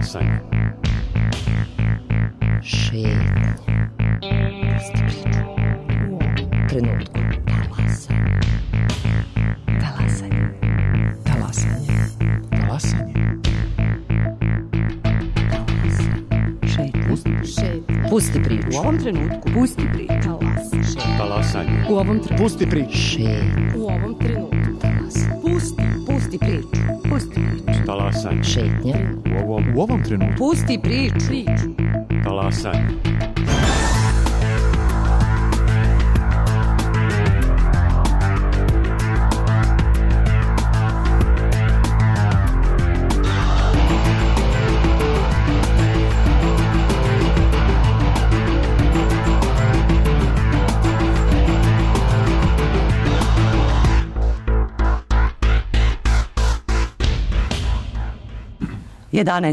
Talasanje. Šetnje. Pusti priču. U ovom trenutku. Talasanje. Talasanje. Talasanje. Talasanje. Pusti priču. U ovom trenutku. Pusti priču. Talasanje. U ovom trenutku. Pusti priču. Šetnje. U ovom trenutku. Pusti priču. Pusti priču. Talasanje. Šetnje. U ovom trenutku. Pusti priču. Talasanje.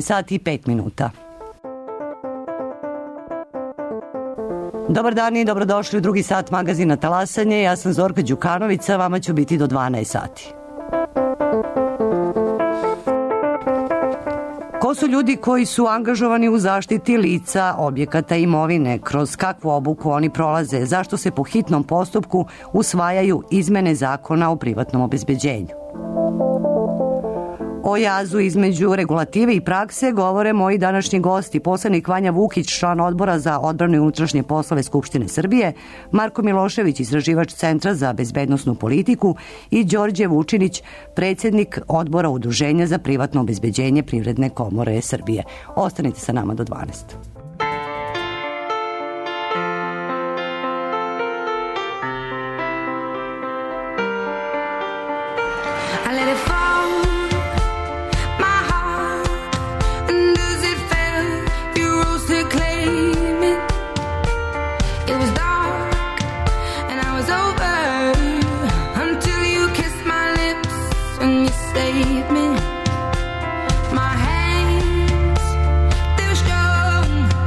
Sati i 5 minuta. Dobar dan i dobrodošli u drugi sat magazina Talasanje. Ja sam Zorka Đukanović, a vama ću biti do 12 sati. Ko su ljudi koji su angažovani u zaštiti lica, objekata i imovine? Kroz kakvu obuku oni prolaze? Zašto se po hitnom postupku usvajaju izmene zakona o privatnom obezbeđenju? O jazu između regulative i prakse govore moji današnji gosti, poslanik Vanja Vukić, član Odbora za odbranu i unutrašnje poslove Skupštine Srbije, Marko Milošević, istraživač Centra za bezbednosnu politiku i Đorđe Vučinić, predsjednik Odbora Udruženja za privatno obezbeđenje Privredne komore Srbije. Ostanite sa nama do 12. My hands, they're strong.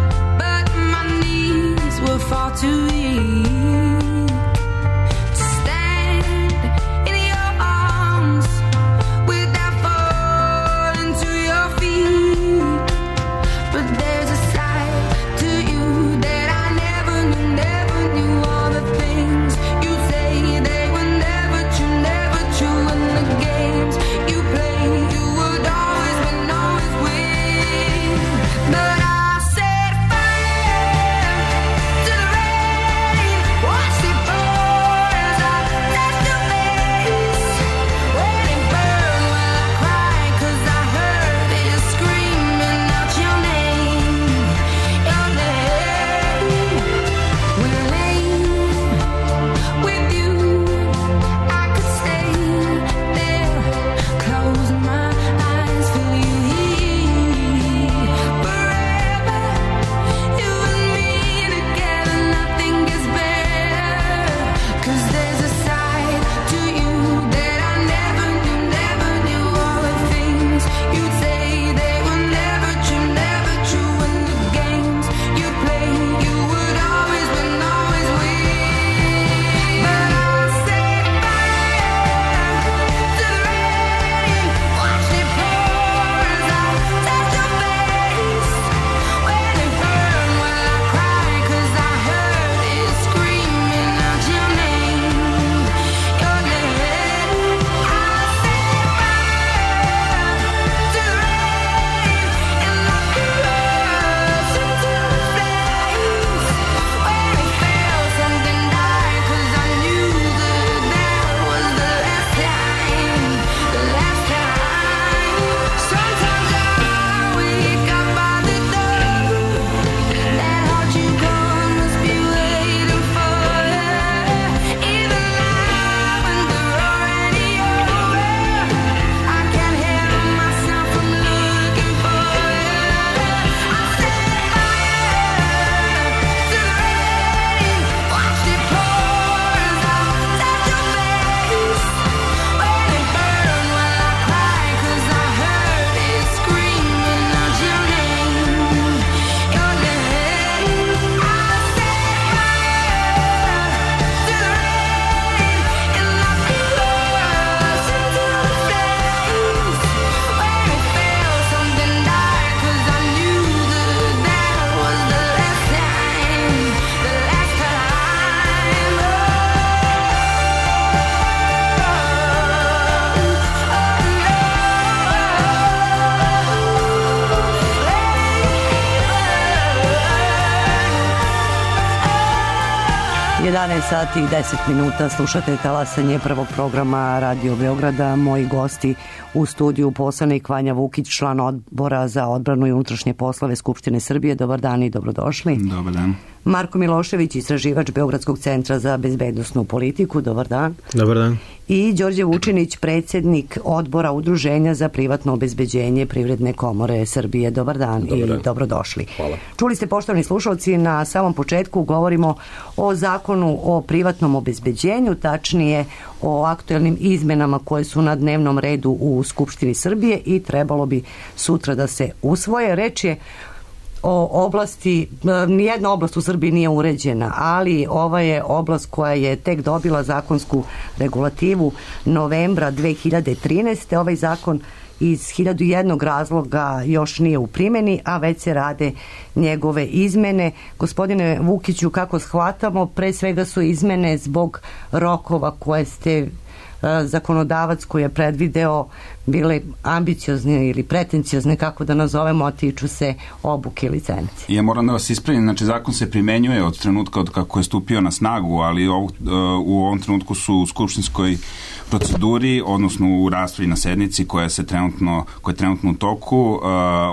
11 sati i 10 minuta slušate talasanje prvog programa Radio Beograda. Moji gosti u studiju poslanik Vanja Vukić, član odbora za odbranu i unutrašnje poslove Skupštine Srbije. Dobar dan i dobrodošli. Dobar dan. Marko Milošević, istraživač Beogradskog centra za bezbednosnu politiku. Dobar dan. Dobar dan. I Đorđe Vučinić, predsjednik odbora Udruženja za privatno obezbeđenje Privredne komore Srbije. Dobar dan i dobrodošli. Hvala. Čuli ste, poštovani slušalci, na samom početku govorimo o zakonu o privatnom obezbeđenju, tačnije o aktuelnim izmenama koje su na dnevnom redu u Skupštini Srbije i trebalo bi sutra da se usvoje. Reč je o oblasti, nijedna oblast u Srbiji nije uređena, ali ova je oblast koja je tek dobila zakonsku regulativu novembra 2013. Ovaj zakon iz 1001 razloga još nije u primjeni, a već se rade njegove izmene. Gospodine Vukiću, kako shvatamo, pre svega su izmene zbog rokova koje ste zakonodavac koji je predvideo bile ambiciozne ili pretenciozne, kako da nazovemo, a tiču se obuke licenci. Ja moram da vas ispravim, znači zakon se primenjuje od trenutka od kako je stupio na snagu, ali u ovom trenutku su u skupštinskoj proceduri, odnosno u raspravi na sednici koja je trenutno u toku,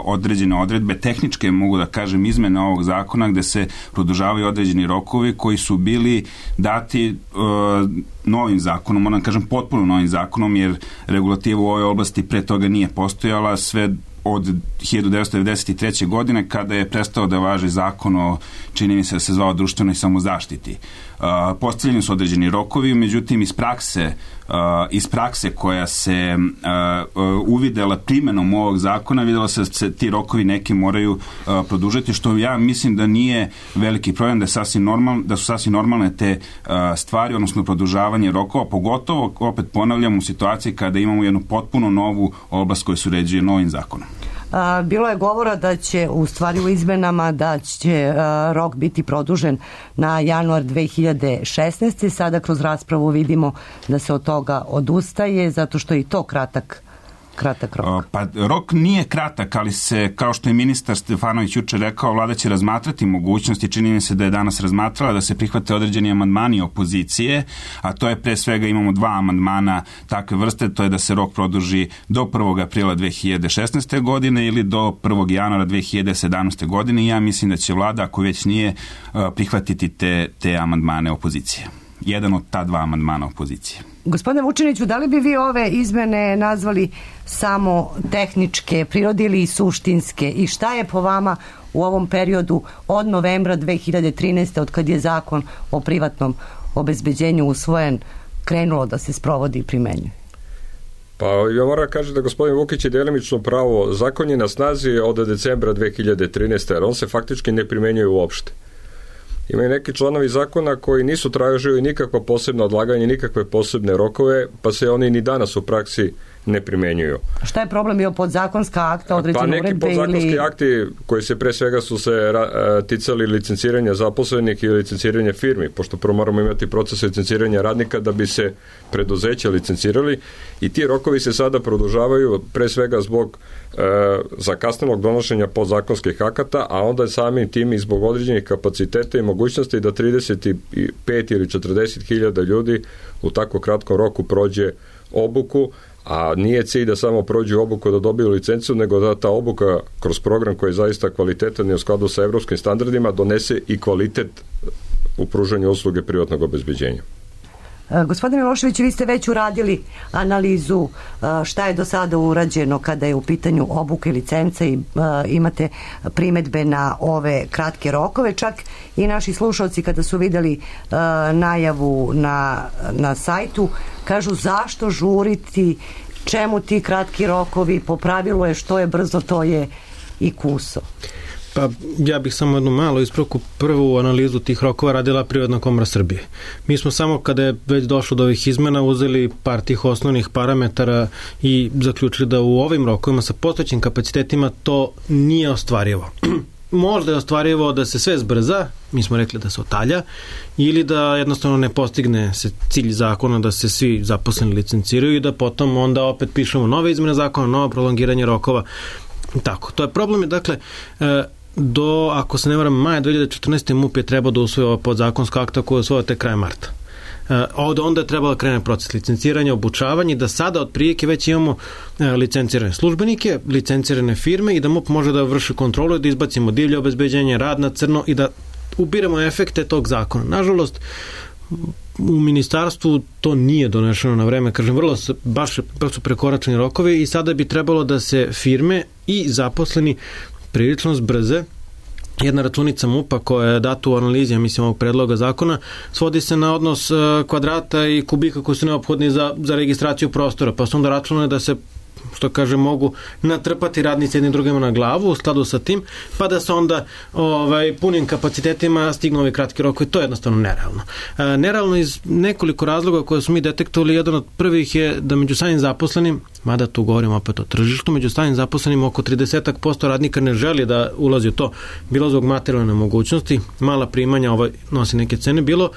određene odredbe, tehničke, mogu da kažem, izmene ovog zakona gde se produžavaju određeni rokovi koji su bili dati novim zakonom, moram da kažem potpuno novim zakonom, jer regulativa u ovoj oblasti pre toga nije postojala sve od 1993. godine kada je prestao da važi zakon o, čini mi se da se zvao, društvenoj samozaštiti. Postavljeni su određeni rokovi, međutim iz prakse koja se uvidela primjenom ovog zakona, vidjela se da se ti rokovi neki moraju produžiti, što ja mislim da nije veliki problem, da su sasvim normalne te stvari, odnosno produžavanje rokova, pogotovo, opet ponavljam, u situaciji kada imamo jednu potpuno novu oblast koja se uređuje novim zakonom. Bilo je govora da će, u stvari u izmenama, da će rok biti produžen na januar 2016. Sada kroz raspravu vidimo da se od toga odustaje, zato što je i to kratak rok. Pa rok nije kratak, ali se, kao što je ministar Stefanović juče rekao, vlada će razmatrati mogućnosti, čini mi se da je danas razmatrala da se prihvate određeni amandmani opozicije, a to je pre svega, imamo 2 amandmana takve vrste, to je da se rok produži do 1. aprila 2016. godine ili do 1. januara 2017. godine i ja mislim da će vlada, ako već nije, prihvatiti te amandmane opozicije. Jedan od ta 2 amandmana opozicije. Gospodine Vučiniću, da li bi vi ove izmene nazvali samo tehničke prirode ili suštinske i šta je po vama u ovom periodu od novembra 2013. od kad je zakon o privatnom obezbeđenju usvojen krenulo da se sprovodi i primenjuje? Pa ja moram kažem da gospodin Vukić je delimično pravo. Zakon je na snazi od decembra 2013. jer on se faktički ne primenjuje uopšte. Imaju neki članovi zakona koji nisu tražili nikakva posebna odlaganja, nikakve posebne rokove, pa se oni ni danas u praksi ne primenjuju. Šta je problem bio podzakonska akta, određene uredbe? Pa neki podzakonski akti koji se pre svega su se ticali licenciranja zaposlenih i licenciranja firmi, pošto prvo moramo imati proces licenciranja radnika da bi se preduzeća licencirali i ti rokovi se sada produžavaju pre svega zbog zakasnelog donošenja podzakonskih akata, a onda samim tim i zbog određenih kapaciteta i mogućnosti da 35 ili 40 hiljada ljudi u tako kratkom roku prođe obuku, a nije cilj da samo prođu obuku da dobiju licencu, nego da ta obuka kroz program koji je zaista kvalitetan i u skladu sa evropskim standardima donese i kvalitet u pružanju usluge privatnog obezbeđenja. Gospodine Milošević, vi ste već uradili analizu šta je do sada urađeno kada je u pitanju obuke i licence i imate primedbe na ove kratke rokove. Čak i naši slušalci kada su videli najavu na sajtu kažu zašto žuriti, čemu ti kratki rokovi, po pravilu je što je brzo to je i kuso. Pa ja bih samo jednu malu ispravku. Prvu analizu tih rokova radila Privredna komora Srbije. Mi smo samo kada je već došlo do ovih izmena uzeli par tih osnovnih parametara i zaključili da u ovim rokovima sa postojećim kapacitetima to nije ostvarivo. Možda je ostvarivo da se sve zbrza, mi smo rekli da se otalja, ili da jednostavno ne postigne se cilj zakona da se svi zaposleni licenciraju i da potom onda opet pišemo nove izmene zakona, novo prolongiranje rokova. Tako, to je problem. Dakle, do, ako se ne varam, maja 2014. MUP je trebao da usvoji ova podzakonska akta koja je usvojila te kraj marta. Onda je trebalo da krene proces licenciranja, obučavanja i da sada od prilike već imamo licencirane službenike, licencirane firme i da MUP može da vrši kontrolu i da izbacimo divlje obezbeđenje, rad na crno i da ubiramo efekte tog zakona. Nažalost, u ministarstvu to nije donešeno na vreme, kažem, baš su prekoračeni rokovi i sada bi trebalo da se firme i zaposleni prilično zbrze. Jedna računica MUP-a koja je data u analizi, mislim, ovog predloga zakona, svodi se na odnos kvadrata i kubika koji su neophodni za registraciju prostora, pa su onda računali da se, što kaže, mogu natrpati radnici jednim drugima na glavu u skladu sa tim, pa da se onda punim kapacitetima stignu ovi kratki rokovi. To je jednostavno nerealno. Nerealno iz nekoliko razloga koje su mi detektovali. Jedan od prvih je da među samim zaposlenim, mada tu govorimo opet o tržištu, među samim zaposlenim oko 30% radnika ne želi da ulazi u to, bilo zbog materijalne mogućnosti, mala primanja, nosi neke cene, bilo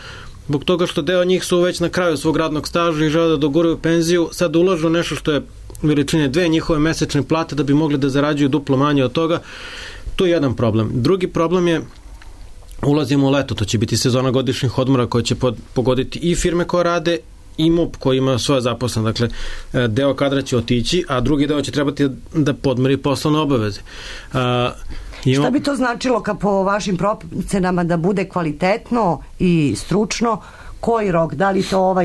zbog toga što deo njih su već na kraju svog radnog staža i žele da doguraju penziju, sad ulažu nešto što je veličine 2 njihove mesečne plate da bi mogli da zarađuju duplo manje od toga. To je jedan problem. Drugi problem je, ulazimo u leto, to će biti sezona godišnjih odmora koja će pogoditi i firme koje rade i MUP koji ima svoje zaposlene. Dakle, deo kadra će otići, a drugi deo će trebati da podmiri poslovne obaveze. Šta bi to značilo po vašim procenama da bude kvalitetno i stručno? Koji rok? Da li to o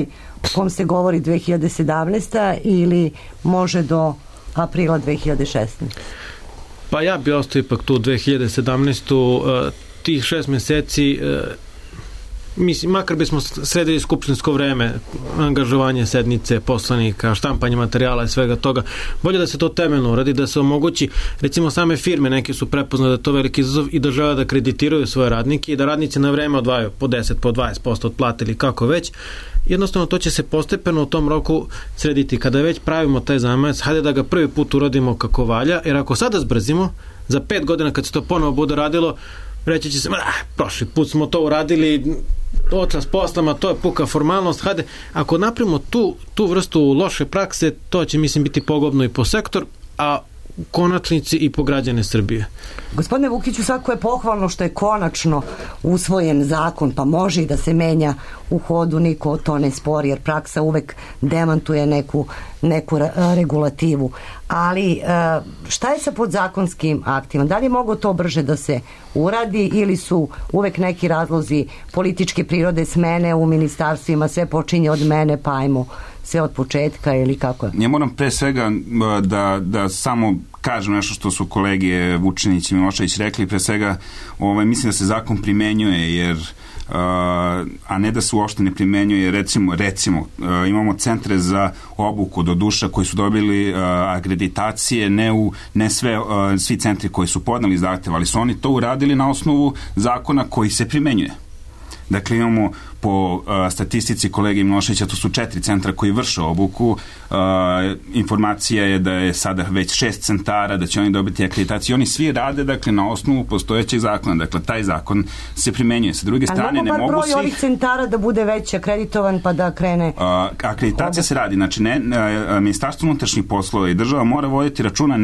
kom se govori 2017. ili može do aprila 2016. Pa ja bi ostao ipak tu 2017. Tih 6 meseci, mislim, makar bismo sredili skupštinsko vreme, angažovanje sednice, poslanika, štampanje materijala i svega toga, bolje da se to temeljno uradi, da se omogući, recimo same firme neke su prepoznale da je to veliki izazov i da žele da kreditiraju svoje radnike i da radnici na vreme odvajaju po 10, po 20% od plate ili kako već. Jednostavno to će se postepeno u tom roku srediti. Kada već pravimo taj zamajac, hajde da ga prvi put uradimo kako valja, jer ako sada zbrzimo, za 5 godina kad se to ponovo bude radilo, reći će se, prošli put smo to uradili, očas poslama, to je puka formalnost, hajde, ako napravimo tu vrstu loše prakse, to će, mislim, biti pogubno i po sektor, a u konačnici i po građane Srbije. Gospodine Vukiću, svako je pohvalno što je konačno usvojen zakon, pa može i da se menja u hodu, niko to ne spori, jer praksa uvek demantuje neku regulativu. Ali šta je sa podzakonskim aktima? Da li je mogo to brže da se uradi ili su uvek neki razlozi političke prirode, smene u ministarstvima, sve počinje od mene, pa ajmo sve od početka ili kako je? Ja moram pre svega da samo kažem nešto što su kolege Vučinić i Milošević rekli. Pre svega mislim da se zakon primenjuje, jer a ne da se uopšte ne primenjuje. Recimo imamo centre za obuku do duša koji su dobili akreditacije, ne svi centri koji su podneli zahtev, ali su oni to uradili na osnovu zakona koji se primenjuje. Dakle, imamo po statistici kolege Miloševića, to su 4 centra koji vrše obuku. Informacija je da je sada već 6 centara, da će oni dobiti akreditaciju. Oni svi rade, dakle, na osnovu postojećeg zakona. Dakle, taj zakon se primenjuje. Sa druge strane, ne mogu broj ovih centara da bude već akreditovan pa da krene... Akreditacija se radi. Znači, Ministarstvo unutrašnjih poslova i država mora voditi računa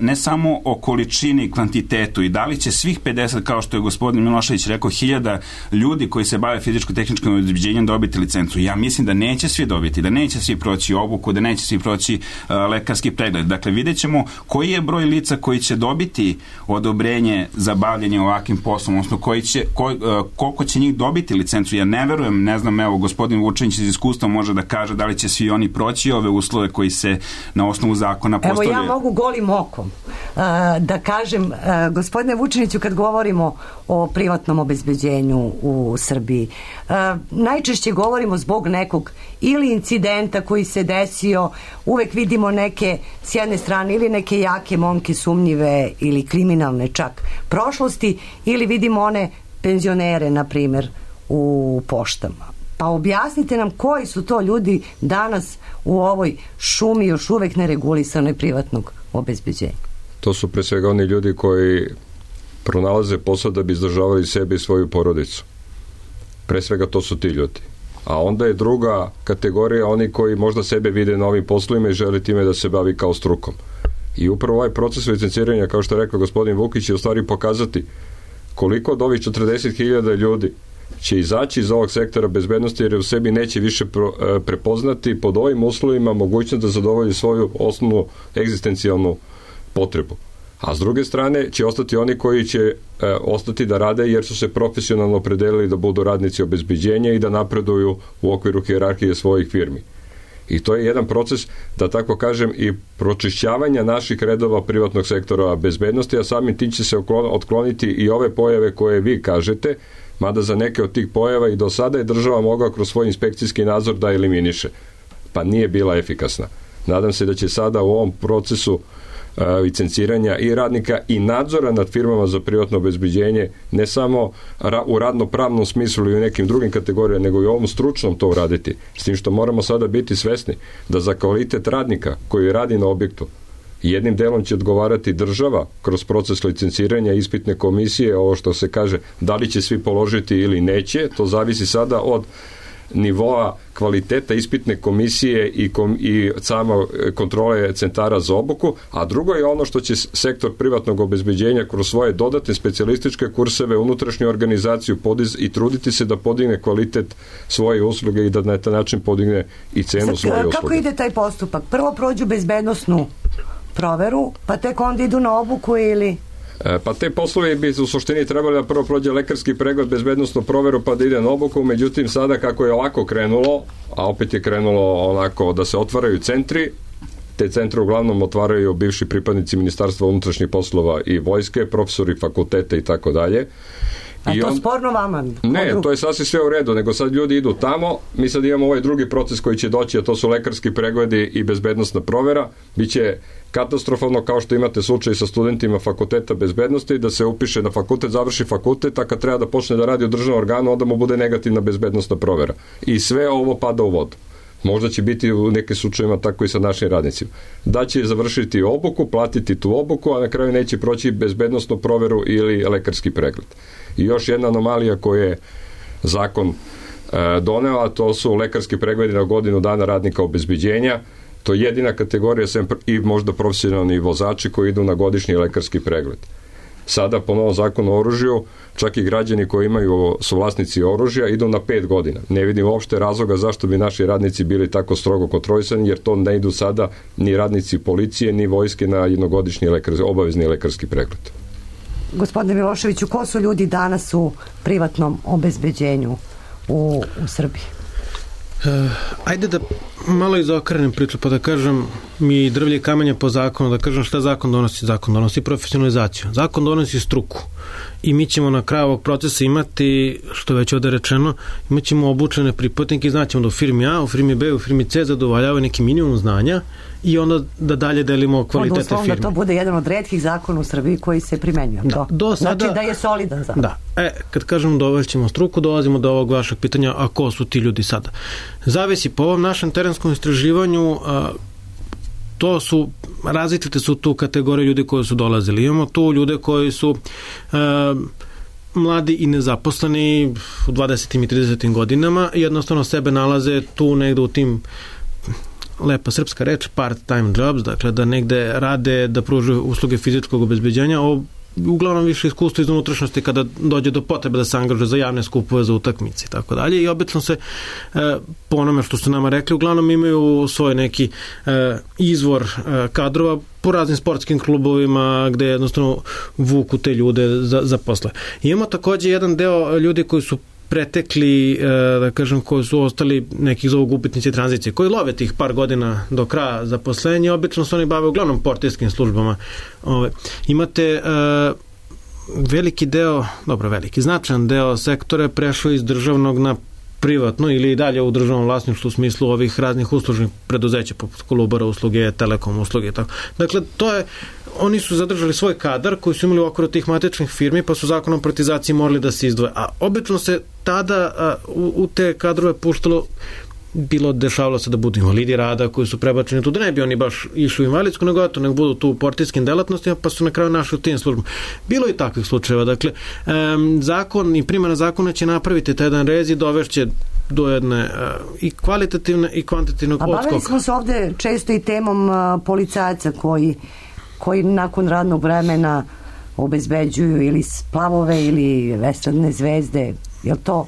ne samo o količini i kvantitetu i da li će svih 50, kao što je gospodin Milošević rekao, 1000 ljudi koji se bave fizičko-tehničkim obezbeđenjem dobiti licencu. Ja mislim da neće svi dobiti, da neće svi proći obuku, da neće svi proći lekarski pregled. Dakle, vidjet ćemo koji je broj lica koji će dobiti odobrenje za bavljanje ovakvim poslom, odnosno koliko će njih dobiti licencu. Ja ne verujem, ne znam, evo, gospodin Vučinić iz iskustva može da kaže da li će svi oni proći ove uslove koji se na osnovu zakona postavljaju. Evo, ja mogu golim okom da kažem, gospodine Vučiniću, kad govorimo o privatnom obezbeđenju u Srbiji, najčešće govorimo zbog nekog ili incidenta koji se desio, uvek vidimo neke s jedne strane ili neke jake momke sumnjive ili kriminalne čak prošlosti, ili vidimo one penzionere, na primjer, u poštama. Pa objasnite nam koji su to ljudi danas u ovoj šumi još uvek neregulisanoj privatnog obezbeđenja. To su pre svega oni ljudi koji pronalaze posao da bi izdržavali sebe i svoju porodicu. Pre svega to su ti ljudi. A onda je druga kategorija oni koji možda sebe vide na ovim poslovima i žele time da se bavi kao strukom. I upravo ovaj proces licenciranja, kao što je rekao gospodin Vukić, je u stvari pokazati koliko od ovih 40.000 ljudi će izaći iz ovog sektora bezbednosti, jer u sebi neće više prepoznati pod ovim uslovima mogućnost da zadovolji svoju osnovnu egzistencijalnu potrebu. A s druge strane će ostati oni koji će ostati da rade jer su se profesionalno opredelili da budu radnici obezbeđenja i da napreduju u okviru hijerarhije svojih firmi. I to je jedan proces, da tako kažem, i pročišćavanja naših redova privatnog sektora bezbednosti, a samim tim će se otkloniti i ove pojave koje vi kažete, mada za neke od tih pojava i do sada je država mogla kroz svoj inspekcijski nadzor da eliminiše, pa nije bila efikasna. Nadam se da će sada u ovom procesu licenciranja i radnika i nadzora nad firmama za privatno obezbeđenje ne samo u radno-pravnom smislu ili u nekim drugim kategorijama, nego i u ovom stručnom to uraditi. S tim što moramo sada biti svesni da za kvalitet radnika koji radi na objektu jednim delom će odgovarati država kroz proces licenciranja, ispitne komisije, ovo što se kaže da li će svi položiti ili neće, to zavisi sada od nivoa kvaliteta ispitne komisije i samo kontrole centara za obuku, a drugo je ono što će sektor privatnog obezbeđenja kroz svoje dodatne specijalističke kurseve, unutrašnju organizaciju i truditi se da podigne kvalitet svoje usluge i da na taj način podigne i cenu svoje usluge. Kako ide taj postupak? Prvo prođu bezbednosnu proveru, pa tek onda idu na obuku ili... Pa te poslovi bi u suštini trebali da prvo prođe lekarski pregled, bezbednosnu proveru pa da ide na obuku, međutim sada kako je ovako krenulo, a opet je krenulo onako da se otvaraju centri, te centre uglavnom otvaraju bivši pripadnici Ministarstva unutrašnjih poslova i vojske, profesori fakulteta i tako dalje. A to sporno vama? Ne, to je sasvim sve u redu, nego sad ljudi idu tamo, mi sad imamo ovaj drugi proces koji će doći, a to su lekarski pregledi i bezbednosna provera. Biće katastrofalno kao što imate slučaj sa studentima fakulteta bezbednosti, da se upiše na fakultet, završi fakultet, a kad treba da počne da radi u državnom organu, onda mu bude negativna bezbednosna provera. I sve ovo pada u vodu. Možda će biti u nekim slučajima tako i sa našim radnicima. Da će završiti obuku, platiti tu obuku, a na kraju neće proći bezbednosnu proveru ili lekarski pregled. I još jedna anomalija koju je zakon doneo, a to su lekarski pregledi na godinu dana radnika obezbeđenja. To je jedina kategorija i možda profesionalni vozači koji idu na godišnji lekarski pregled. Sada po novom zakonu o oružju, čak i građani koji su vlasnici oružja idu na 5 godina. Ne vidim uopšte razloga zašto bi naši radnici bili tako strogo kontrolisani, jer to ne idu sada ni radnici policije, ni vojske na jednogodišnji obavezni lekarski pregled. Gospodine Miloševiću, ko su ljudi danas u privatnom obezbeđenju u Srbiji? Ajde da malo izokrenem priču, pa da kažem mi drvlje i kamenje po zakonu, da kažem šta zakon donosi. Zakon donosi profesionalizaciju, zakon donosi struku i mi ćemo na kraju ovog procesa imati, što je već ovde rečeno, imat ćemo obučene pripadnike i znaćemo da u firmi A, u firmi B, u firmi C zadovoljavaju neki minimum znanja i onda da dalje delimo kvalitete firme. Onda to bude jedan od retkih zakona u Srbiji koji se primenjuje. Da, do sada, znači da je solidan zakon. Da. Kad kažemo dovoljćemo struku, dolazimo do ovog vašeg pitanja, a ko su ti ljudi sada? Zavisi po ovom našem terenskom istraživanju, to su, različite su tu kategorije ljudi koji su dolazili. Imamo tu ljude koji su mladi i nezaposleni u 20. i 30. godinama i jednostavno sebe nalaze tu negde u tim, lepa srpska reč, part-time jobs, dakle da negde rade, da pružaju usluge fizičkog obezbeđenja, uglavnom više iskustvo iz unutrašnjosti kada dođe do potrebe da se angažuje za javne skupove, za utakmice i tako dalje, i obično se po onome što su nama rekli, uglavnom imaju svoj neki izvor kadrova po raznim sportskim klubovima gde jednostavno vuku te ljude za posle. Imamo takođe jedan deo ljudi koji su pretekli, da kažem, koji su ostali nekih zovu gubitnici tranzicije, koji love tih par godina do kraja zaposlenja, obično se oni bave uglavnom portirskim službama. Imate veliki deo, značajan deo sektore prešao iz državnog na privatno ili i dalje u državnom vlasništvu u smislu ovih raznih uslužnih preduzeća poput Kolubara usluge, Telekom usluge i tako. Dakle, oni su zadržali svoj kadar koji su imali u okviru tih matičnih firmi, pa su zakonom o privatizaciji morali da se izdvoje. A obično se tada u te kadrove puštalo, dešavalo se da budu invalidi rada koji su prebačeni tu, da ne bi oni baš išli u invalidsku, nego budu tu u portirskim delatnostima, pa su na kraju našli u tim službama. Bilo i takvih slučajeva. Dakle, zakon i primjena zakona će napraviti taj jedan rez i dovešće do jedne i kvalitativne i kvantitativnog odskoka. A bavili smo se ovde često i temom policajaca koji koji nakon radnog vremena obezbeđuju ili splavove ili estradne zvezde. Je li to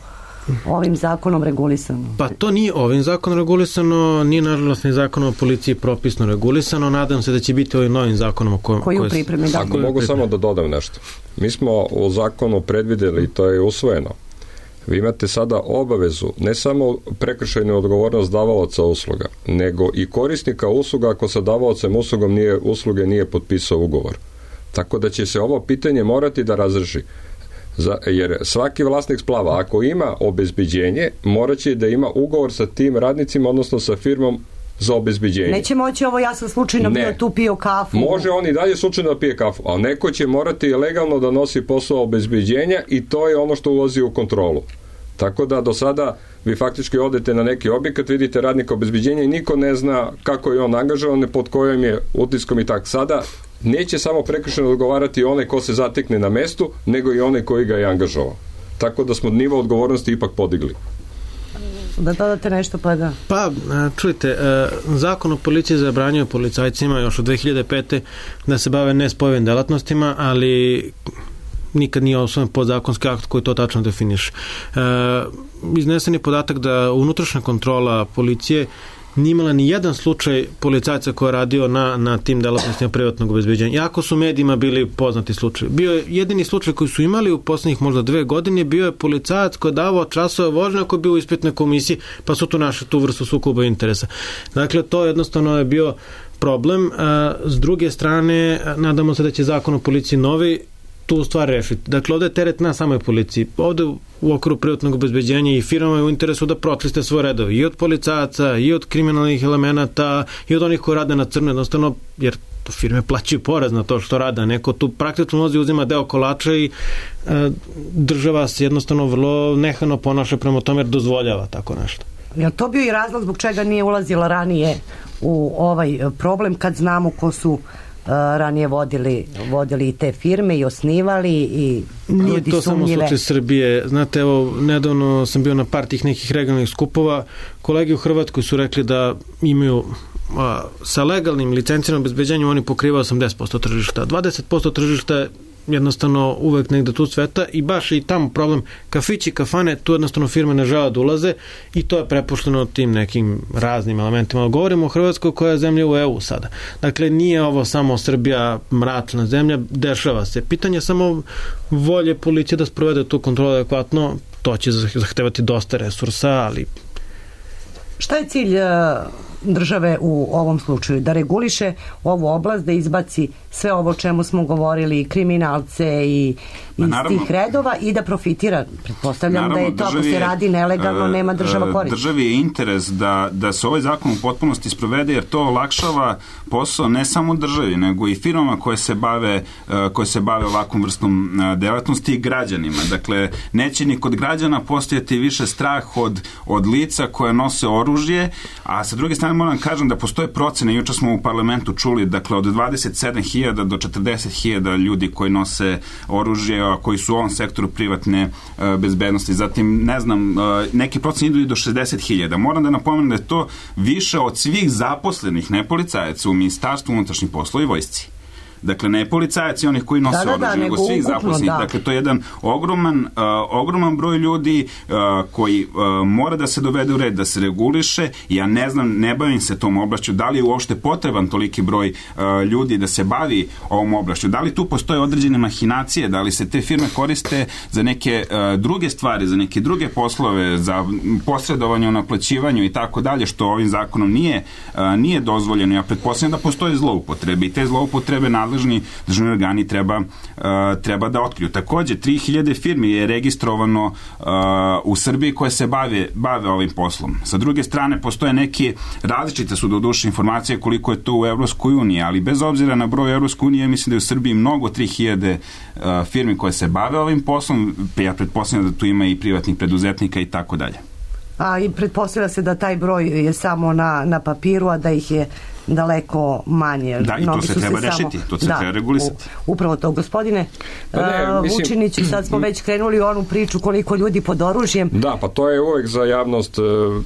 ovim zakonom regulisano? Pa to nije ovim zakonom regulisano, nije nažalost ni zakonom o policiji propisno regulisano. Nadam se da će biti ovim novim zakonom koji u pripremi. Ako mogu samo da dodam nešto. Mi smo u zakonu predvideli, to je usvojeno, vi imate sada obavezu, ne samo prekršajnu odgovornost davalaca usluga, nego i korisnika usluga ako sa davalacem usluge nije potpisao ugovor. Tako da će se ovo pitanje morati da razreši. Jer svaki vlasnik splava, ako ima obezbeđenje, morat će da ima ugovor sa tim radnicima, odnosno sa firmom za obezbeđenje. Neće moći ovo, ja sam slučajno bio tu, pio kafu. Može on i dalje slučajno da pije kafu, a neko će morati legalno da nosi posao obezbeđenja i to je ono što ulazi u kontrolu. Tako da do sada vi faktički odete na neki objekat, vidite radnika obezbeđenja i niko ne zna kako je on angažovan, pod kojim je utiskom i tako. Sada neće samo prekršajno odgovarati onaj ko se zatekne na mestu, nego i onaj koji ga je angažovao. Tako da smo nivo odgovornosti ipak podigli. Da dodate nešto, pa da. Pa, čujte, zakon o policiji zabranjuje policajcima još od 2005. da se bave nespojivim delatnostima, ali nikad nije osnovan podzakonski akt koji to tačno definiše. Iznesen je podatak da unutrašnja kontrola policije nije imala ni jedan slučaj policajca koji je radio na tim delatnostima privatnog obezbeđenja. Iako su medijima bili poznati slučaj. Bio je jedini slučaj koji su imali u poslednjih možda 2 godine, bio je policajac koji je davao časove vožnje koji je bio u ispitnoj komisiji, pa su tu našli tu vrstu sukoba interesa. Dakle, to jednostavno je bio problem. S druge strane, nadamo se da će zakon o policiji novi tu stvar rešiti. Dakle, ovde je teret na samoj policiji. Ovde u okviru privatnog obezbeđenja i firmama je u interesu da pročiste svoje redove i od policajaca, i od kriminalnih elemenata, i od onih koji rade na crno, jednostavno, jer firme plaćaju porez na to što rade. Neko tu praktično nozi, uzima deo kolača i država se jednostavno vrlo nehano ponaša prema tome jer dozvoljava tako nešto. Je to bio i razlog zbog čega nije ulazila ranije u ovaj problem, kad znamo ko su ranije vodili i te firme i osnivali i ljudi nije to sumnjive. Samo slučaj Srbije. Znate, evo, nedavno sam bio na par tih nekih regionalnih skupova. Kolege u Hrvatskoj su rekli da imaju sa legalnim licenciranim obezbeđenjem oni pokrivaju 80% tržišta. 20% tržišta jednostavno uvek negde tu sveta i baš i tamo problem kafići, kafane, tu jednostavno firme ne žele da ulaze i to je prepušteno tim nekim raznim elementima. Govorimo o Hrvatskoj koja je zemlja u EU sada. Dakle, nije ovo samo Srbija mračna zemlja, dešava se. Pitanje je samo volje policije da sprovede tu kontrolu adekvatno, to će zahtevati dosta resursa, ali... Šta je cilj države u ovom slučaju? Da reguliše ovu oblast, da izbaci sve ovo o čemu smo govorili, kriminalce i iz tih redova i da profitira. Pretpostavljam da je to, ako se radi nelegalno, nema država korist. Državi je interes da se ovaj zakon u potpunosti sprovede, jer to olakšava posao ne samo državi, nego i firmama koje se bave ovakvom vrstom delatnosti i građanima. Dakle, neće ni kod građana postojati više strah od lica koje nose oružje, a sa druge strane moram kažem da postoje procene, juče smo u parlamentu čuli, dakle od 27.000 do 40.000 ljudi koji nose oružje, a koji su u ovom sektoru privatne bezbednosti. Zatim, ne znam, neki procene idu i do 60.000. Moram da napomenem da je to više od svih zaposlenih nepolicajaca u Ministarstvu unutrašnjih poslova i vojsci. Dakle, ne policajaci onih koji nose oružje, nego svih zaposlenih. Dakle, to je jedan ogroman broj ljudi koji mora da se dovede u red, da se reguliše. Ja ne znam, ne bavim se tom oblašću, da li je uopšte potreban toliki broj ljudi da se bavi ovom oblašću, da li tu postoje određene mahinacije, da li se te firme koriste za neke druge stvari, za neke druge poslove, za posredovanje u naplaćivanju i tako dalje, što ovim zakonom nije dozvoljeno. Ja pretpostavljam da postoje zloupotrebe i te zloupotrebe nadležni državni organi treba da otkriju. Takođe, 3000 firmi je registrovano u Srbiji koje se bave ovim poslom. Sa druge strane, postoje neke različite su doduše informacije koliko je to u Evropskoj uniji, ali bez obzira na broj Evropskoj unije, mislim da je u Srbiji mnogo 3000 firmi koje se bave ovim poslom. Ja pretpostavljam da tu ima i privatnih preduzetnika i tako dalje. A i pretpostavlja se da taj broj je samo na papiru, a da ih je daleko manje. Da, i to se treba rešiti, to se treba regulisati. Upravo to, gospodine Vučiniću, sad smo već krenuli u onu priču koliko ljudi pod oružjem. Da, pa to je uvek za javnost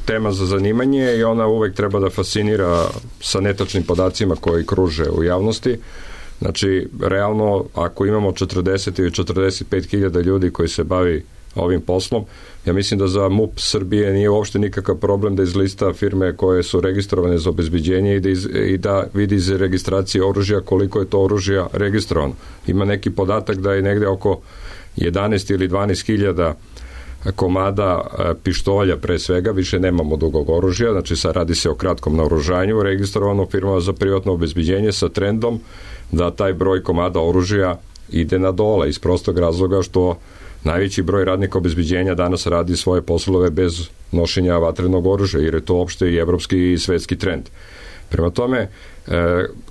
tema za zanimanje i ona uvek treba da fascinira sa netačnim podacima koji kruže u javnosti. Znači, realno, ako imamo 40 ili 45 hiljada ljudi koji se bavi ovim poslom, ja mislim da za MUP Srbije nije uopšte nikakav problem da izlista firme koje su registrovane za obezbeđenje i da vidi iz registracije oružja koliko je to oružja registrovano. Ima neki podatak da je negde oko 11 ili 12 hiljada komada pištolja pre svega, više nemamo dugog oružja, znači sad radi se o kratkom naoružanju, registrovano firmama za privatno obezbeđenje sa trendom da taj broj komada oružja ide na dole iz prostog razloga što najveći broj radnika obezbeđenja danas radi svoje poslove bez nošenja vatrenog oružja, jer je to opšte i evropski i svetski trend. Prema tome,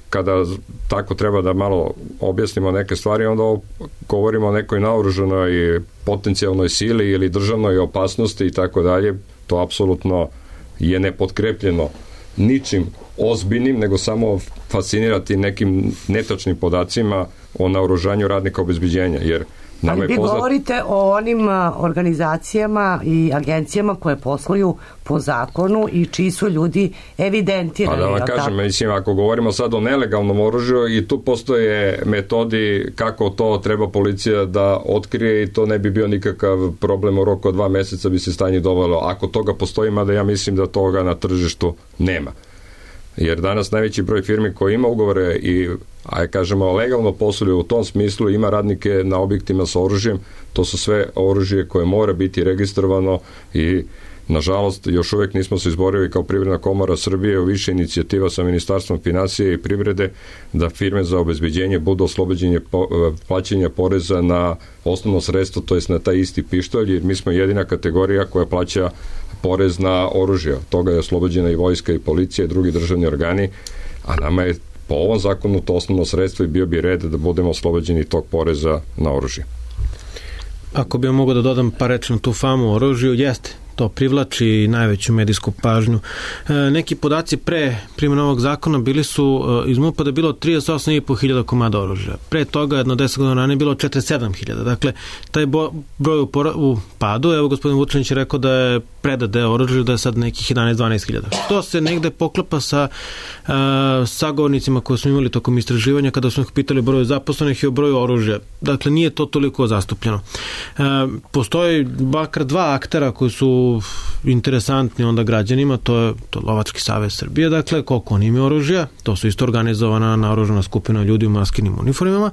kada tako treba da malo objasnimo neke stvari, onda govorimo o nekoj naoružanoj potencijalnoj sili ili državnoj opasnosti i tako dalje, to apsolutno je nepotkrepljeno ničim ozbiljnim, nego samo fascinirati nekim netačnim podacima o naoružanju radnika obezbeđenja, jer ali vi govorite o onim organizacijama i agencijama koje posluju po zakonu i čiji su ljudi evidentirani. Pa da vam kažem, mislim, ako govorimo sad o nelegalnom oružju i tu postoje metodi kako to treba policija da otkrije i to ne bi bio nikakav problem, u roku od 2 meseca bi se stanje dovelo. Ako toga postoji, mada ja mislim da toga na tržištu nema. Jer danas najveći broj firmi koji ima ugovore i kažemo legalno posluju u tom smislu, ima radnike na objektima sa oružjem, to su sve oružje koje mora biti registrovano i nažalost još uvek nismo se izborili kao Privredna komora Srbije u više inicijativa sa Ministarstvom finansije i privrede da firme za obezbeđenje budu oslobođenje plaćanja poreza na osnovno sredstvo, to jest na taj isti pištolj, jer mi smo jedina kategorija koja plaća porez na oružje. Toga je oslobođena i vojska i policija i drugi državni organi, a nama je po ovom zakonu to osnovno sredstvo i bio bi red da budemo oslobođeni tog poreza na oružje. Ako bi mogo da dodam par reči na tu famu o oružju, jeste, to privlači najveću medijsku pažnju. Neki podaci pre primjene ovog zakona bili su iz MUP-a da je bilo 38.500 komada oružja. Pre toga, jedno 10 godina ranije, bilo 47.000. Dakle, taj broj u padu, evo gospodin Vučanić je rekao da je predat deo oružja, da je sad nekih 11-12.000. Što se negde poklapa sa sagovornicima koje smo imali tokom istraživanja kada smo ih pitali o broju zaposlenih i o broju oružja. Dakle, nije to toliko zastupljeno. Postoji bakar 2 aktera koji su interesantni onda građanima, to je Lovački savez Srbije, dakle, koliko oni imaju oružja, to su isto organizovana naoružana skupina ljudi u maskinim uniformima,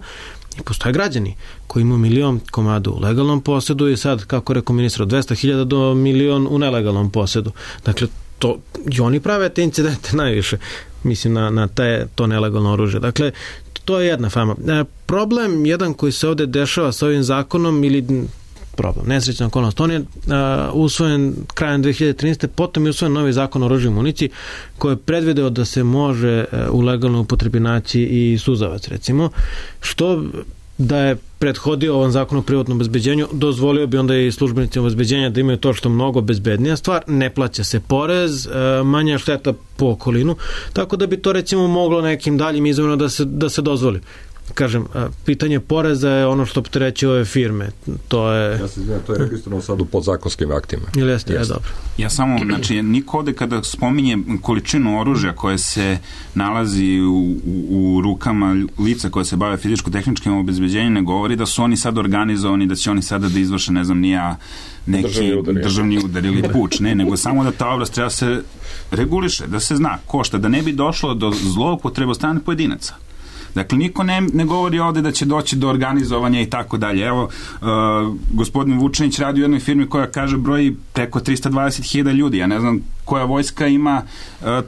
i postoje građani koji imaju 1.000.000 komada u legalnom posedu i sad, kako rekao ministar, od 200.000 do 1.000.000 u nelegalnom posedu. Dakle, to, i oni prave te incidente najviše, mislim, na to nelegalno oružje. Dakle, to je jedna fama. Problem jedan koji se ovde dešava sa ovim zakonom ili problem, nesrećna okolnost. On je usvojen krajem 2013. Potom je usvojen novi zakon o oružju i municiji koji je predvideo da se može u legalnoj upotrebi naći i suzavac, recimo, što da je prethodio ovom zakonu o privatnom obezbeđenju, dozvolio bi onda i službenicima obezbeđenja da imaju to što mnogo bezbednija stvar, ne plaća se porez, manja šteta po okolinu, tako da bi to recimo moglo nekim daljim izvorima da se dozvoli. Kažem, pitanje poreza je ono što opterećuje ove firme. To je... Ja se izvijem, to je registrovano sad u podzakonskim aktima. Ili jeste? Ja, dobro. Ja samo, znači, niko ovde kada spominje količinu oružja koje se nalazi u rukama lica koje se bave fizičko-tehničkim obezbeđenjem, ne govori da su oni sad organizovani, da će oni sada da izvrše, ne znam, neki državni udar ili puč, nego samo da ta oblast treba se reguliše, da se zna košta, da ne bi došlo do zloupotrebe od strane pojedinaca. Dakle, niko ne govori ovde da će doći do organizovanja i tako dalje. Evo, gospodin Vučanić radi u jednoj firmi koja kaže broji preko 320.000 ljudi. Ja ne znam koja vojska ima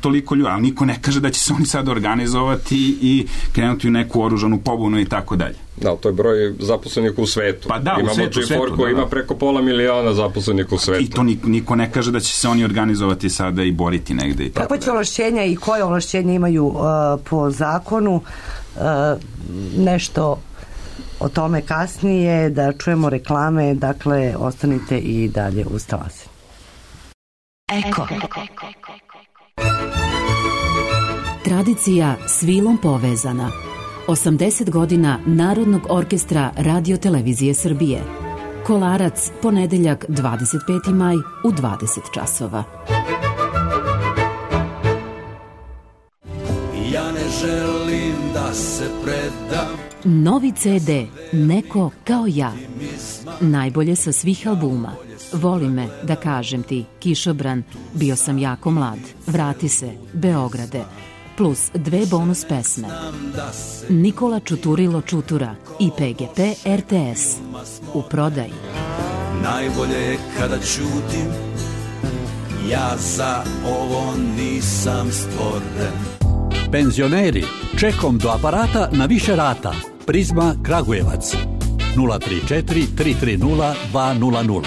toliko ljudi, ali niko ne kaže da će se oni sad organizovati i krenuti u neku oružanu pobunu i tako dalje. Da, to je broj zaposlenih u svetu. Pa da, imamo u svetu, koji ima preko 500.000 zaposlenih u svetu. I to niko ne kaže da će se oni organizovati sada i boriti negde. I kako će ovlašćenja i koje ovlašćenja imaju po zakonu? Nešto o tome kasnije, da čujemo reklame, dakle ostanite i dalje uz Talasanju. Eko. Tradicija s vilom povezana. 80 godina Narodnog orkestra Radio Televizije Srbije. Kolarac, ponedeljak 25. maj u 20 časova. Ja ne želim da se predam. Novi CD Neko kao ja. Najbolje sa svih albuma. Voli me, da kažem ti, Kišobran, Bio sam jako mlad, Vrati se, Beograde, plus 2 bonus pesme. Nikola Čuturilo Čutura i PGP RTS. U prodaji. Najbolje je kada ćutim, ja za ovo nisam stvoren. Penzioneri, čekom do aparata na više rata. Prizma Kragujevac 034 330 200.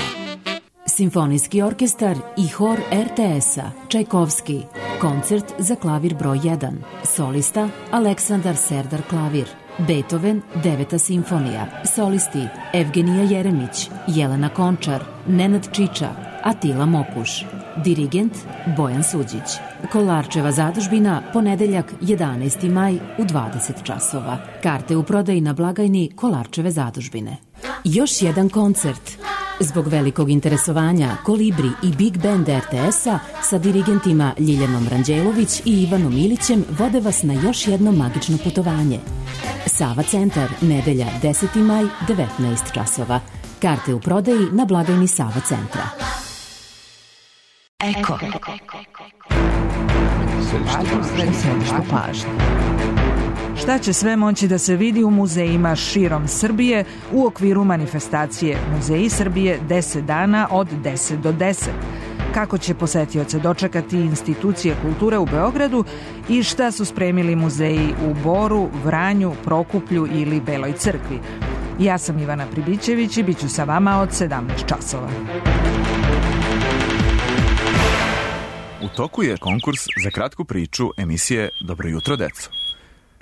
Simfonijski orkestar i hor RTS-a Čajkovski. Koncert za klavir broj 1. Solista Aleksandar Serdar klavir. Beethoven 9. simfonija. Solisti Evgenija Jeremić, Jelena Končar, Nenad Čiča, Atila Mokuš. Dirigent Bojan Suđić. Kolarčeva zadužbina, ponedeljak 11. maj u 20 časova. Karte u prodaji na blagajni Kolarčeve zadužbine. Još jedan koncert. Zbog velikog interesovanja Kolibri i Big Band RTS-a sa dirigentima Ljiljanom Ranđelović i Ivanom Ilićem vode vas na još jedno magično putovanje. Sava centar, nedelja 10. maj, 19 časova. Karte u prodaji na blagajni Sava centra. Eko. Središte pažnje. Šta će sve moći da se vidi u muzejima širom Srbije u okviru manifestacije Muzeji Srbije 10 dana od 10 do 10? Kako će posetioce dočekati institucije kulture u Beogradu i šta su spremili muzeji u Boru, Vranju, Prokuplju ili Beloj crkvi? Ja sam Ivana Pribićević i bit ću sa vama od 17 časova. U toku je konkurs za kratku priču emisije Dobro jutro, deco.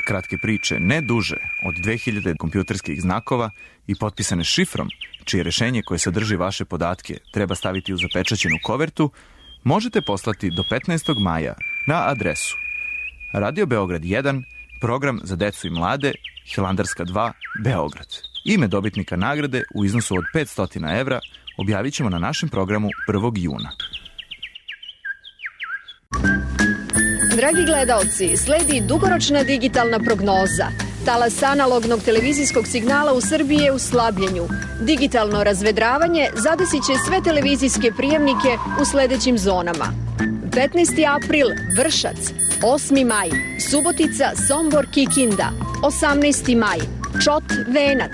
Kratke priče ne duže od 2000 kompjuterskih znakova i potpisane šifrom, čije rešenje koje sadrži vaše podatke treba staviti u zapečaćenu kovertu, možete poslati do 15. maja na adresu Radio Beograd 1, program za decu i mlade, Hilandarska 2, Beograd. Ime dobitnika nagrade u iznosu od 500 evra objavit ćemo na našem programu 1. juna. Dragi gledaoci, sledi dugoročna digitalna prognoza. Talas analognog televizijskog signala u Srbiji je u slabljenju. Digitalno razvedravanje zadesit će sve televizijske prijemnike u sledećim zonama. 15. april, Vršac. 8. maj, Subotica, Sombor, Kikinda. 18. maj, Čot, Venac.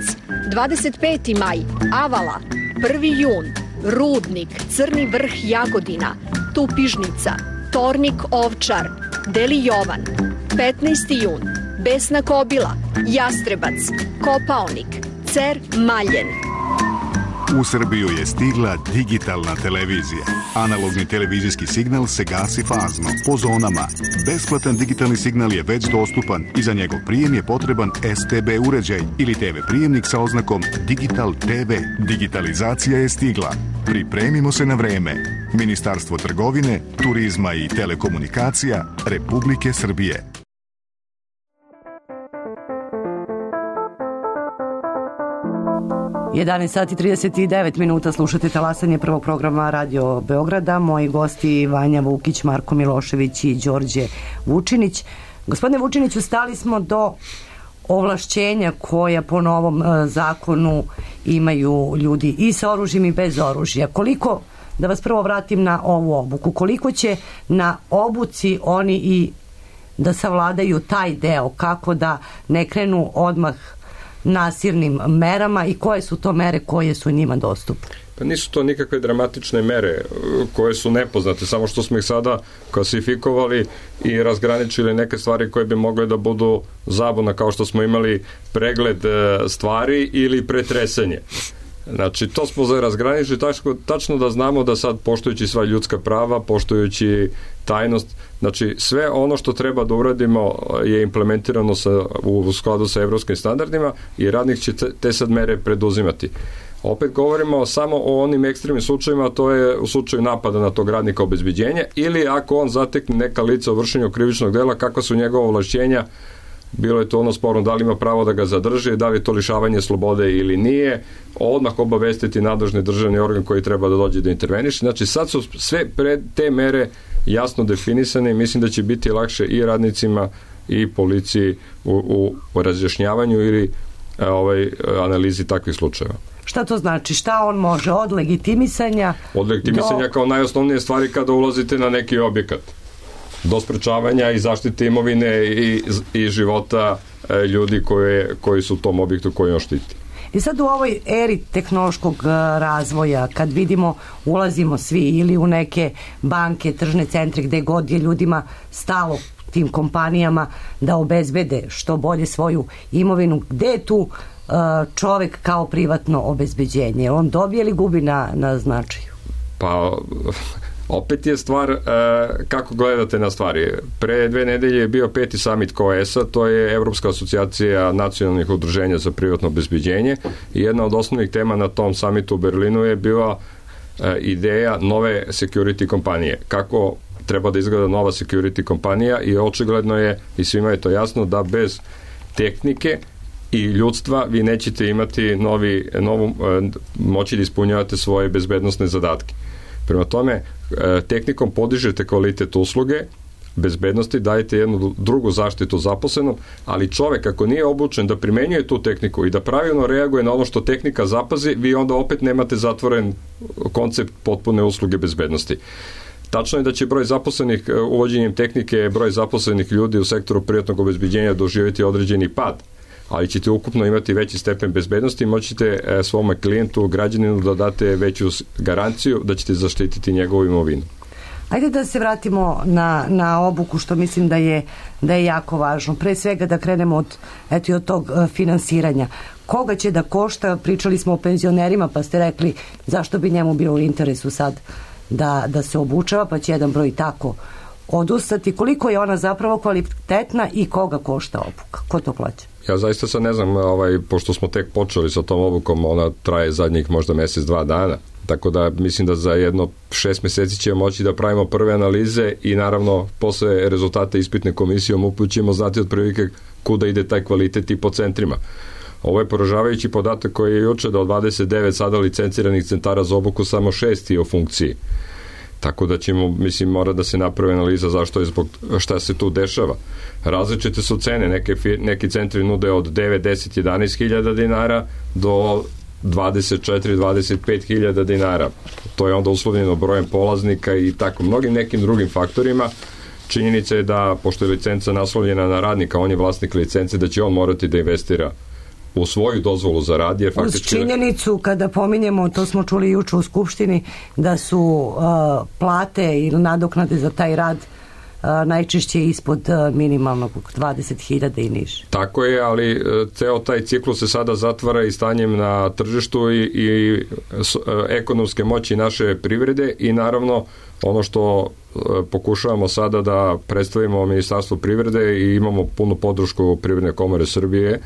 25. maj, Avala. 1. jun, Rudnik, Crni vrh, Jagodina. Tupižnica, Tornik, Ovčar, Deli Jovan. 15. jun, Besna Kobila, Jastrebac, Kopaonik, Cer, Maljen. U Srbiju je stigla digitalna televizija. Analogni televizijski signal se gasi fazno, po zonama. Besplatan digitalni signal je već dostupan i za njegov prijem je potreban STB uređaj ili TV prijemnik sa oznakom Digital TV. Digitalizacija je stigla. Pripremimo se na vreme. Ministarstvo trgovine, turizma i telekomunikacija Republike Srbije. Sat i 39 minuta, slušate talasanje prvog programa Radio Beograda. Moji gosti Vanja Vukić, Marko Milošević i Đorđe Vučinić. Gospodine Vučiniću, stali smo do ovlašćenja koja po novom zakonu imaju ljudi i sa oružjem i bez oružja. Koliko, da vas prvo vratim na ovu obuku, koliko će na obuci oni i da savladaju taj deo, kako da ne krenu odmah nasilnim merama i koje su to mere koje su njima dostupne? Pa nisu to nikakve dramatične mere koje su nepoznate, samo što smo ih sada klasifikovali i razgraničili neke stvari koje bi mogle da budu zabuna, kao što smo imali pregled stvari ili pretresanje. Znači, to smo razgraničili tačno da znamo da sad, poštujući sva ljudska prava, poštujući tajnost, znači sve ono što treba da uradimo je implementirano u skladu sa evropskim standardima i radnik će te sad mere preduzimati. Opet govorimo samo o onim ekstremnim slučajima, to je u slučaju napada na tog radnika obezbeđenja ili ako on zatekne neka lica u vršenju krivičnog dela, kakva su njegova ovlašćenja, bilo je to ono sporno, da li ima pravo da ga zadrži, da li je to lišavanje slobode ili nije, odmah obavestiti nadležni državni organ koji treba da dođe da interveniše. Znači sad su sve te mere jasno definisane i mislim da će biti lakše i radnicima i policiji u razjašnjavanju ili analizi takvih slučajeva. Šta to znači? Šta on može? Od legitimisanja kao najosnovnije stvari kada ulazite na neki objekat. Do sprečavanja i zaštite imovine i života ljudi koji su u tom objektu koji on štiti. I sad u ovoj eri tehnološkog razvoja, kad vidimo, ulazimo svi ili u neke banke, tržne centre, gde god je ljudima stalo, tim kompanijama, da obezbede što bolje svoju imovinu, gde je tu čovek kao privatno obezbeđenje? On dobije ili gubi na značaju? Pa opet je stvar kako gledate na stvari. Pre 2 nedelje je bio 5. summit COES-a, to je Evropska asocijacija nacionalnih udruženja za privatno obezbeđenje, i jedna od osnovnih tema na tom summitu u Berlinu je bila ideja nove security kompanije. Kako treba da izgleda nova security kompanija, i očigledno je, i svima je to jasno, da bez tehnike i ljudstva vi nećete imati moći da ispunjavate svoje bezbednosne zadatke. Prema tome, tehnikom podižete kvalitet usluge, bezbednosti, dajete jednu drugu zaštitu zaposlenom, ali čovek ako nije obučen da primenjuje tu tehniku i da pravilno reaguje na ono što tehnika zapazi, vi onda opet nemate zatvoren koncept potpune usluge bezbednosti. Tačno je da će broj zaposlenih, uvođenjem tehnike, broj zaposlenih ljudi u sektoru privatnog obezbeđenja doživjeti određeni pad, ali ćete ukupno imati veći stepen bezbednosti i moćete svome klijentu, građaninu, da date veću garanciju da ćete zaštititi njegovu imovinu. Ajde da se vratimo na obuku, što mislim da je jako važno. Pre svega da krenemo od tog finansiranja. Koga će da košta? Pričali smo o penzionerima, pa ste rekli zašto bi njemu bilo u interesu sad da se obučava, pa će jedan broj tako odustati. Koliko je ona zapravo kvalitetna i koga košta obuka? Ko to plaća? Ja zaista sad ne znam, pošto smo tek počeli sa tom obukom, ona traje zadnjih možda mesec, 2 dana. Tako da mislim da za jedno 6 meseci ćemo moći da pravimo prve analize i naravno posle rezultata ispitne komisije MUP ćemo znati otprilike kuda ide taj kvalitet i po centrima. Ovo je poražavajući podatak koji je juče da od 29 sada licenciranih centara za obuku samo 6 je u funkciji. Tako da ćemo, mora da se napravi analiza šta se tu dešava. Različite su cene, neki centri nude od 9, 10, 11 hiljada dinara do 24, 25 hiljada dinara. To je onda uslovljeno brojem polaznika i tako mnogim nekim drugim faktorima. Činjenica je da, pošto je licenca naslovljena na radnika, on je vlasnik licence, da će on morati da investira u svoju dozvolu za rad. Uz činjenicu, kada pominjemo, to smo čuli juče u Skupštini, da su plate ili nadoknade za taj rad najčešće ispod minimalnog 20.000 i niže. Tako je, ali ceo taj ciklus se sada zatvara i stanjem na tržištu i ekonomske moći naše privrede i naravno ono što pokušavamo sada da predstavimo Ministarstvo privrede i imamo punu podršku Privredne komore Srbije,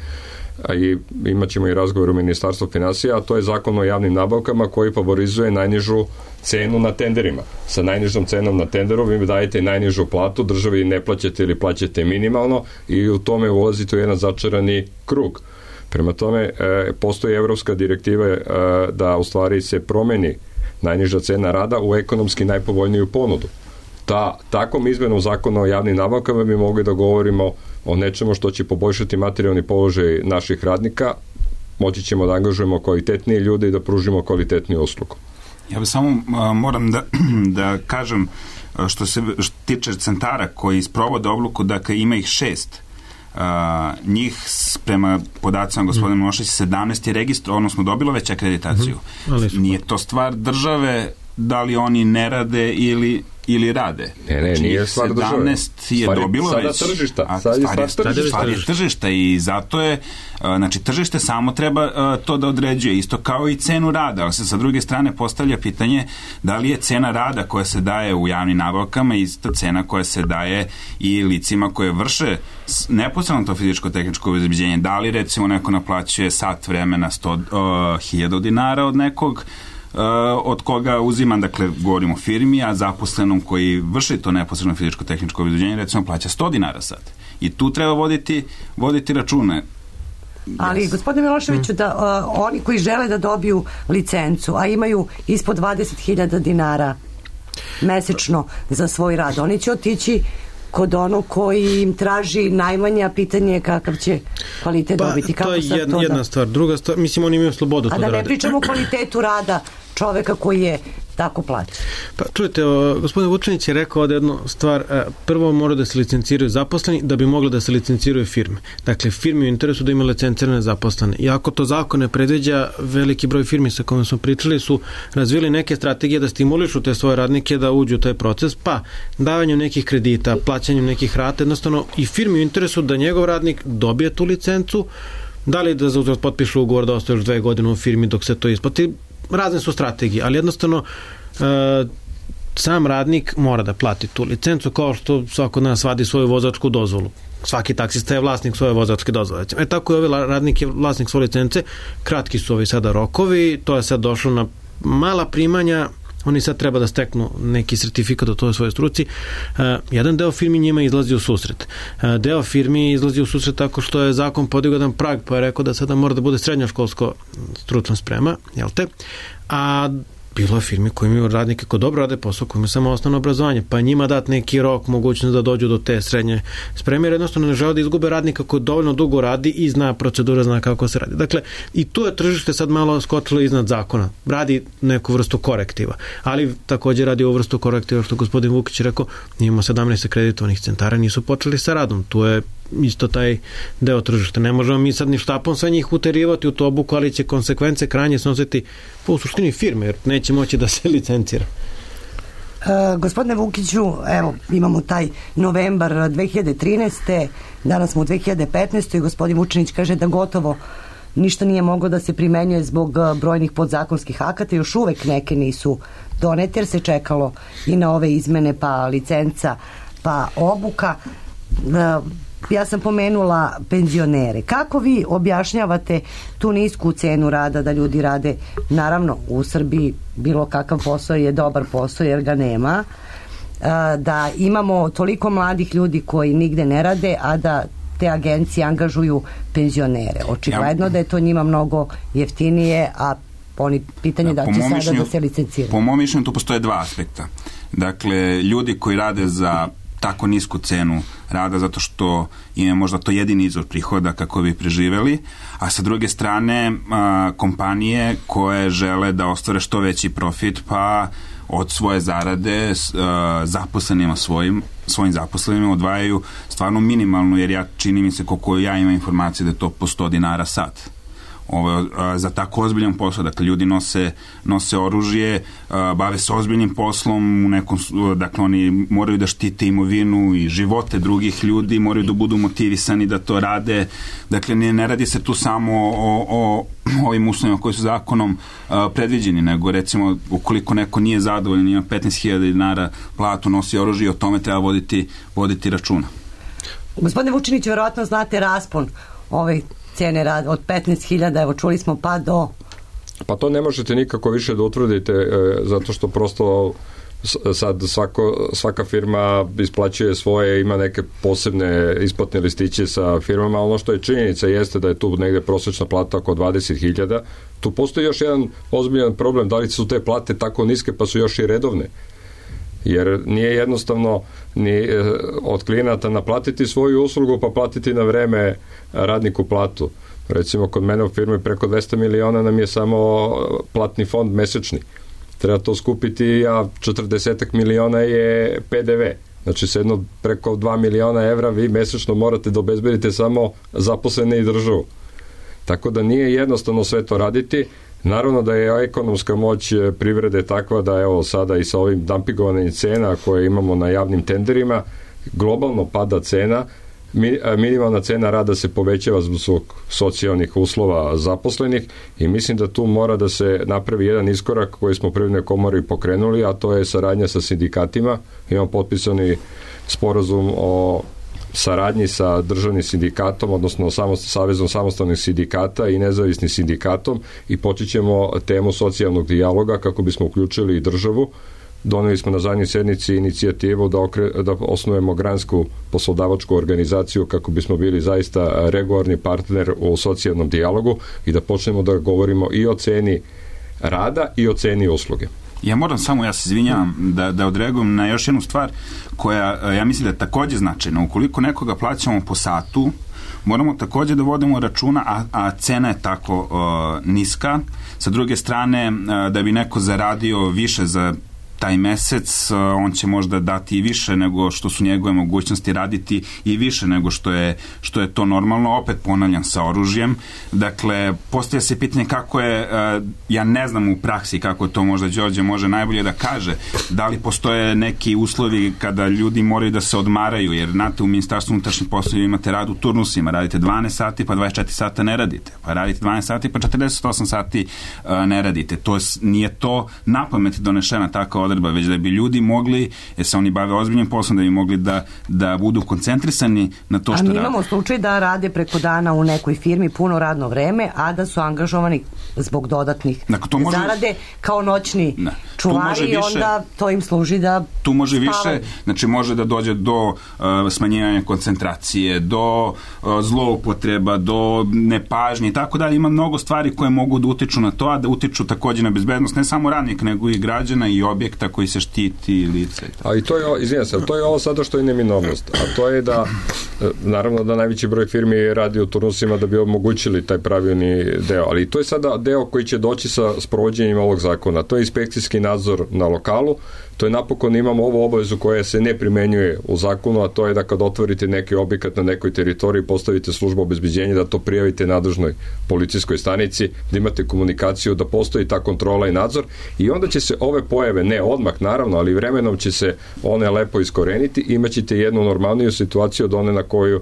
i imat ćemo i razgovor u Ministarstvu finansija, a to je Zakon o javnim nabavkama koji favorizuje najnižu cenu na tenderima. Sa najnižom cenom na tenderu vi dajete najnižu platu, državi ne plaćate ili plaćate minimalno i u tome ulazite u jedan začarani krug. Prema tome, postoji evropska direktiva da u stvari se promeni najniža cena rada u ekonomski najpovoljniju ponudu. Takom izmenom Zakona o javnim nabavkama bi mogli da govorimo o nečemu što će poboljšati materijalni položaj naših radnika, moći ćemo da angažujemo kvalitetnije ljude i da pružimo kvalitetniju uslugu. Ja bih samo moram da kažem što se tiče centara koji sprovode obuku, dakle ima ih 6. Njih prema podacima gospodina Miloševića 17 je registrovano, odnosno dobilo već akreditaciju. Nije to stvar države da li oni ne rade ili rade. Ne, nije stvar države. 17 je dobilo već. Stvar je tržišta i zato je, znači tržište samo treba to da određuje, isto kao i cenu rada, ali se sa druge strane postavlja pitanje da li je cena rada koja se daje u javnim nabavkama ista cena koja se daje i licima koje vrše neposredno to fizičko-tehničko obezbeđenje. Da li recimo neko naplaćuje sat vremena 100.000 dinara od nekog od koga uzimam, dakle, govorim o firmi, a zaposlenom koji vrši to neposredno fizičko-tehničko obezbeđenje, recimo, plaća 100 dinara sad. I tu treba voditi račune. Ali, gospodine Miloševiću, da oni koji žele da dobiju licencu, a imaju ispod 20.000 dinara mesečno za svoj rad, oni će otići kod onog koji im traži najmanje, a pitanje je kakav će kvalitet dobiti. To je jedna stvar. Druga stvar, mislim, oni imaju slobodu to da rade. A da ne pričamo o kvalitetu rada čoveka koji je tako plaćen. Pa čujete, gospodin Vučinić je rekao ovde jednu stvar, prvo mora da se licenciraju zaposleni da bi mogli da se licenciraju firme. Dakle, firme u interesu da imaju licencirane zaposlene. I ako to zakon ne predviđa, veliki broj firmi sa kojima smo pričali su razvili neke strategije da stimulišu te svoje radnike da uđu u taj proces, pa davanjem nekih kredita, plaćanjem nekih rata, jednostavno i firmi u interesu da njegov radnik dobije tu licencu, da li da za uzvrat potpišu ugovor da ostaje još 2 godine u firmi dok se to isplati. Razne su strategije, ali jednostavno sam radnik mora da plati tu licencu kao što svako od nas vadi svoju vozačku dozvolu. Svaki taksista je vlasnik svoje vozačke dozvole. Tako je ovaj radnik je vlasnik svoje licence, kratki su ovi sada rokovi, to je sad došlo na mala primanja, oni sad treba da steknu neki sertifikat o toj svojoj struci. Jedan deo firmi njima izlazi u susret. Deo firmi izlazi u susret tako što je zakon podigao jedan prag, pa je rekao da sada mora da bude srednjoškolsko stručna sprema, jel te? A bilo je firmi koji imaju radnike koji dobro rade posao, koji imaju samo osnovno obrazovanje, pa njima dati neki rok, mogućnost da dođu do te srednje spreme, jer jednostavno ne žele da izgube radnika koji dovoljno dugo radi i zna procedura, zna kako se radi. Dakle, i tu je tržište sad malo skočilo iznad zakona. Radi neku vrstu korektiva, ali također radi ovu vrstu korektiva, što gospodin Vukić rekao, imamo 17 akreditovanih centara, nisu počeli sa radom. Tu je isto taj deo tržišta. Ne možemo mi sad ni štapom sve njih uterivati u to obuku, ali će konsekvence krajnje snositi u suštini firme, jer neće moći da se licencira. Gospodine Vukiću, evo, imamo taj novembar 2013. Danas smo u 2015. i gospodin Vučinić kaže da gotovo ništa nije moglo da se primenjuje zbog brojnih podzakonskih akata. Još uvek neke nisu donete, jer se čekalo i na ove izmene, pa licenca, pa obuka. Ja sam pomenula penzionere. Kako vi objašnjavate tu nisku cenu rada da ljudi rade? Naravno, u Srbiji bilo kakav posao je dobar posao jer ga nema. Da imamo toliko mladih ljudi koji nigde ne rade, a da te agencije angažuju penzionere. Očigledno da je to njima mnogo jeftinije, a oni pitanje da će sada da se licenciraju. Po mom mišljenju tu postoje dva aspekta. Dakle, ljudi koji rade za tako nisku cenu rada zato što im je možda to jedini izvor prihoda kako bi preživeli, a sa druge strane kompanije koje žele da ostvare što veći profit, pa od svoje zarade zaposlenima svojim zaposlenima odvajaju stvarno minimalno, jer čini mi se koliko ja imam informacije da je to po 100 dinara sat. Za tako ozbiljan posao, dakle ljudi nose oružje, bave se ozbiljnim poslom, dakle oni moraju da štite imovinu i živote drugih ljudi, moraju da budu motivisani da to rade, dakle ne radi se tu samo o ovim uslovima koji su zakonom predviđeni, nego recimo ukoliko neko nije zadovoljan, ima 15.000 dinara platu, nosi oružje, o tome treba voditi računa. Gospodine Vučinić, verovatno znate raspon cene rada od 15.000, evo čuli smo, pa do... Pa to ne možete nikako više da utvrdite, zato što prosto sad svaka firma isplaćuje svoje, ima neke posebne isplatne listiće sa firmama, ono što je činjenica jeste da je tu negde prosječna plata oko 20.000. Tu postoji još jedan ozbiljan problem, da li su te plate tako niske pa su još i redovne. Jer nije jednostavno ni od klijenata naplatiti svoju uslugu pa platiti na vreme radniku platu. Recimo kod mene u firmi preko 200 miliona nam je samo platni fond mesečni. Treba to skupiti, a 40 miliona je PDV. Znači sedno preko 2 miliona evra vi mesečno morate da obezbedite samo zaposlene i državu. Tako da nije jednostavno sve to raditi. Naravno da je ekonomska moć privrede takva da evo sada i sa ovim dumpingovanjem cena koje imamo na javnim tenderima, globalno pada cena, minimalna cena rada se povećava zbog socijalnih uslova zaposlenih i mislim da tu mora da se napravi jedan iskorak koji smo Privrednoj komori pokrenuli, a to je saradnja sa sindikatima. Imamo potpisani sporazum o saradnji sa državnim sindikatom, odnosno Savezom samostalnih sindikata i nezavisnim sindikatom i počećemo temu socijalnog dijaloga kako bismo uključili i državu. Doneli smo na zadnjoj sednici inicijativu da osnujemo gransku poslodavačku organizaciju kako bismo bili zaista regularni partner u socijalnom dijalogu i da počnemo da govorimo i o ceni rada i o ceni usluge. Ja moram samo, ja se izvinjavam, da odreagujem na još jednu stvar koja, ja mislim da je takođe značajna. Ukoliko nekoga plaćamo po satu, moramo takođe da vodimo računa, a cena je tako niska. Sa druge strane, da bi neko zaradio više za taj mesec, on će možda dati i više nego što su njegove mogućnosti, raditi i više nego što je to normalno, opet ponavljam, sa oružjem. Dakle, postavlja se pitanje kako je, ja ne znam u praksi kako je to, možda Đorđe može najbolje da kaže, da li postoje neki uslovi kada ljudi moraju da se odmaraju, jer znate, u Ministarstvu unutrašnjih poslova imate rad u turnusima, radite 12 sati pa 24 sata ne radite, pa radite 12 sati pa 48 sati ne radite. Nije to napamet donešena takva odredba, već da bi ljudi mogli, jer se oni bave ozbiljnim poslom, da bi mogli da budu koncentrisani na to što rade. A mi imamo slučaj da rade preko dana u nekoj firmi puno radno vreme, a da su angažovani zbog dodatnih zarade kao noćni čuvari i onda to im služi da tu može više, znači može da dođe do smanjivanja koncentracije, do zloupotreba, do nepažnje i tako dalje. Ima mnogo stvari koje mogu da utiču na to, a da utiču takođe na bezbednost ne samo radnika, nego i građana i objekta koji se štiti lice. A i to je, izvinjam se, to je ovo sada što je neminovnost, a to je da naravno da najveći broj firmi radi u turnusima da bi omogućili taj pravilni deo, ali to je sada deo koji će doći sa sprovođenjem ovog zakona. To je inspekcijski nadzor na lokalu, to je napokon imamo ovu obavezu koja se ne primenjuje u zakonu, a to je da kad otvorite neki objekat na nekoj teritoriji, postavite službu obezbeđenja, da to prijavite nadležnoj policijskoj stanici, da imate komunikaciju, da postoji ta kontrola i nadzor i onda će se ove pojave, ne odmah naravno, ali vremenom će se one lepo iskoreniti i imaćete jednu normalniju situaciju od one na koju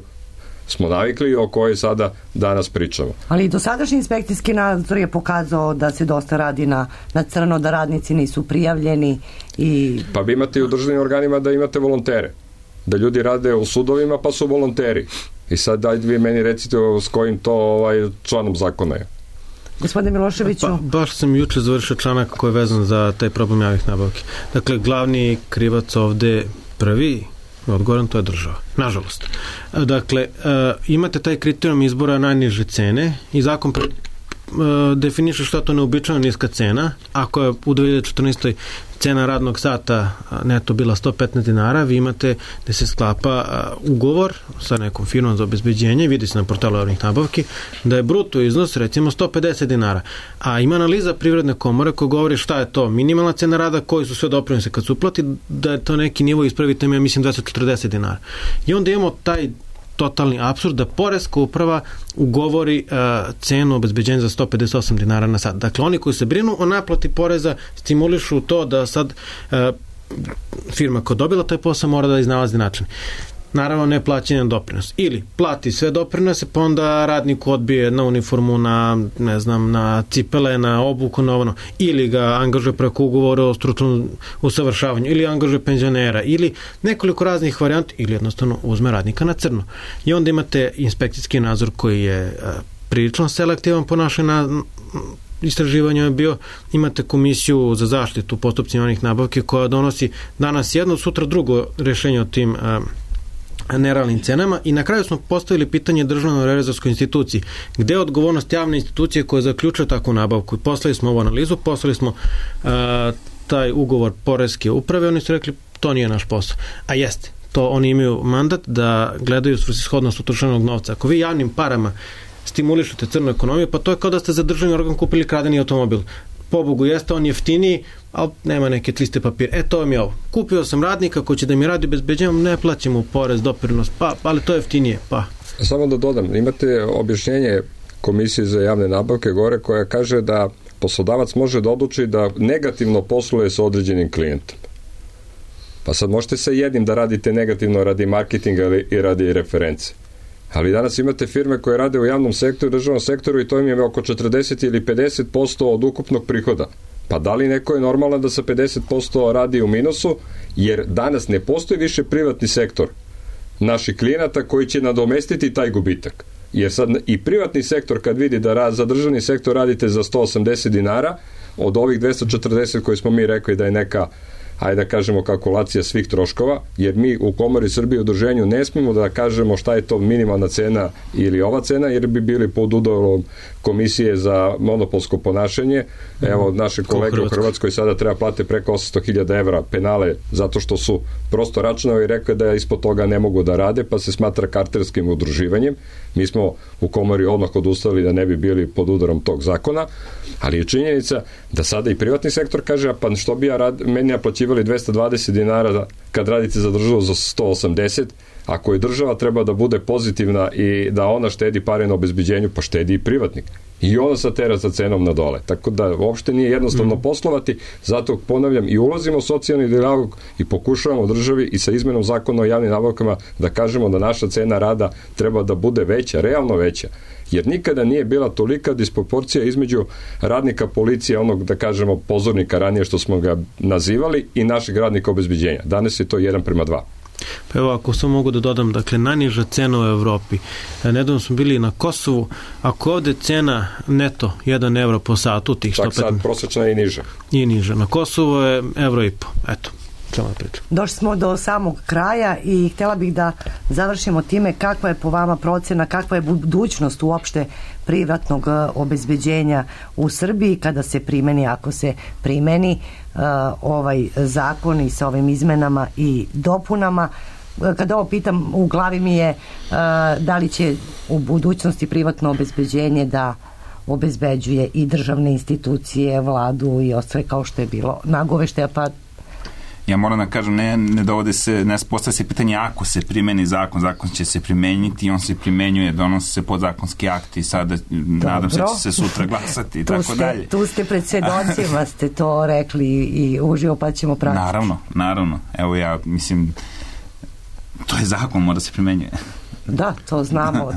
smo navikli i o kojoj sada danas pričamo. Ali dosadašnji inspekcijski nadzor je pokazao da se dosta radi na crno, da radnici nisu prijavljeni i... Pa vi imate i u državnim organima da imate volontere. Da ljudi rade u sudovima pa su volonteri. I sad dajte vi meni recite s kojim to članom zakona je. Gospodine Miloševiću. Baš sam juče završio članak koji je vezan za taj problem javnih nabavki. Dakle, glavni krivac ovde prvi odgovoran, to je država. Nažalost. Dakle, imate taj kriterijum izbora najniže cene i zakon definiše što to neobičajno niska cena. Ako je u 2014. cena radnog sata neto bila 115 dinara, vi imate da se sklapa ugovor sa nekom firmom za obezbeđenje, vidi se na portalu javnih nabavki, da je bruto iznos recimo 150 dinara. A ima analiza Privredne komore koja govori šta je to minimalna cena rada, koji su sve doprinose kad se uplati, da je to neki nivo, ispravite me, ja mislim 240 dinara. I onda imamo taj totalni apsurd da poreska uprava ugovori cenu obezbeđenja za 158 dinara na sat. Dakle, oni koji se brinu o naplati poreza stimulišu to da sad firma koja dobila taj posao mora da iznalazi način. Naravno, ne plaćanje doprinos. Ili plati sve doprinose, pa onda radnik odbije na uniformu, na, ne znam, na cipele, na obuku, na ono. Ili ga angažuje preko ugovora o stručnom usavršavanju, ili angažuje penzionera, ili nekoliko raznih varijanti, ili jednostavno uzme radnika na crno. I onda imate inspekcijski nadzor koji je prilično selektivan po našoj istraživanju je bio, imate komisiju za zaštitu postupcima javnih nabavki koja donosi danas jedno, sutra drugo rešenje o tim nerealnim cenama i na kraju smo postavili pitanje Državnoj revizorskoj instituciji gde je odgovornost javne institucije koja zaključuje takvu nabavku i poslali smo ovu analizu, poslali smo taj ugovor poreske uprave, oni su rekli to nije naš posao, a jeste, to oni imaju mandat da gledaju svrsishodnost utrošenog novca. Ako vi javnim parama stimulišete crnu ekonomiju, pa to je kao da ste za državni organ kupili kradeni automobil. Pobogu jeste, on jeftiniji, ali nema neke tliste papire. To vam je ovo. Kupio sam radnika koji će da mi radi bezbeđenjem, ne plaćam mu porez, doprinos, ali to je jeftinije, Samo da dodam, imate objašnjenje Komisije za javne nabavke gore koja kaže da poslodavac može da odluči da negativno posluje sa određenim klijentom. Pa sad možete sa jednim da radite negativno radi marketinga i radi reference. Ali danas imate firme koje rade u javnom sektoru, državnom sektoru i to im je oko 40 ili 50% od ukupnog prihoda. Pa da li neko je normalan da sa 50% radi u minusu, jer danas ne postoji više privatni sektor naših klijenata koji će nadomestiti taj gubitak. Jer sad i privatni sektor kad vidi da za državni sektor radite za 180 dinara, od ovih 240 koje smo mi rekli da je neka ajde da kažemo, kalkulacija svih troškova, jer mi u Komori Srbije udruženju ne smijemo da kažemo šta je to minimalna cena ili ova cena, jer bi bili pod udarom Komisije za monopolsko ponašanje. Evo, naše kolege u Hrvatskoj sada treba plate preko 800.000 evra penale zato što su prosto računali i rekli da ispod toga ne mogu da rade, pa se smatra kartelskim udruživanjem. Mi smo u Komori odmah odustali da ne bi bili pod udarom tog zakona, ali je činjenica da sada i privatni sektor kaže, pa što bi meni naplaćivali 220 dinara kad radite za državu za 180, ako je država treba da bude pozitivna i da ona štedi pare na obezbeđenju, pa štedi i privatnik. I ona sa tera sa cenom na dole. Tako da uopšte nije jednostavno poslovati, zato ponavljam i ulazimo u socijalni dijalog i pokušavamo državi i sa izmenom zakona o javnim nabavkama da kažemo da naša cena rada treba da bude veća, realno veća. Jer nikada nije bila tolika disproporcija između radnika policije, onog da kažemo pozornika ranije što smo ga nazivali, i našeg radnika obezbeđenja. Danas je to 1:2. Pa evo, ako sam mogu da dodam, dakle, najniža cena u Evropi. Nedavno smo bili na Kosovu, ako ovde cena neto 1 evro po satu, tih 115... Čak sad prosječna je i niža. I niža. Na Kosovu je 1,5 evro. Eto, samo da pričam. Došli smo do samog kraja i htjela bih da završimo time kakva je po vama procena, kakva je budućnost uopšte privatnog obezbeđenja u Srbiji kada se primeni, ako se primeni ovaj zakon i sa ovim izmenama i dopunama. Kada ovo pitam, u glavi mi je da li će u budućnosti privatno obezbeđenje da obezbeđuje i državne institucije, vladu i ostale kao što je bilo nagoveštaja, pa ja moram da kažem, ne dovode se, ne postavlja se pitanje ako se primeni zakon, zakon će se primenjiti i on se primenjuje, donose se podzakonski akti i sada nadam se će se sutra glasati i tako dalje. Tu ste pred svedocima, ste to rekli i uživo, pa ćemo pratiti. Naravno. Evo ja mislim, to je zakon, mora se primenjuje. Da, to znamo.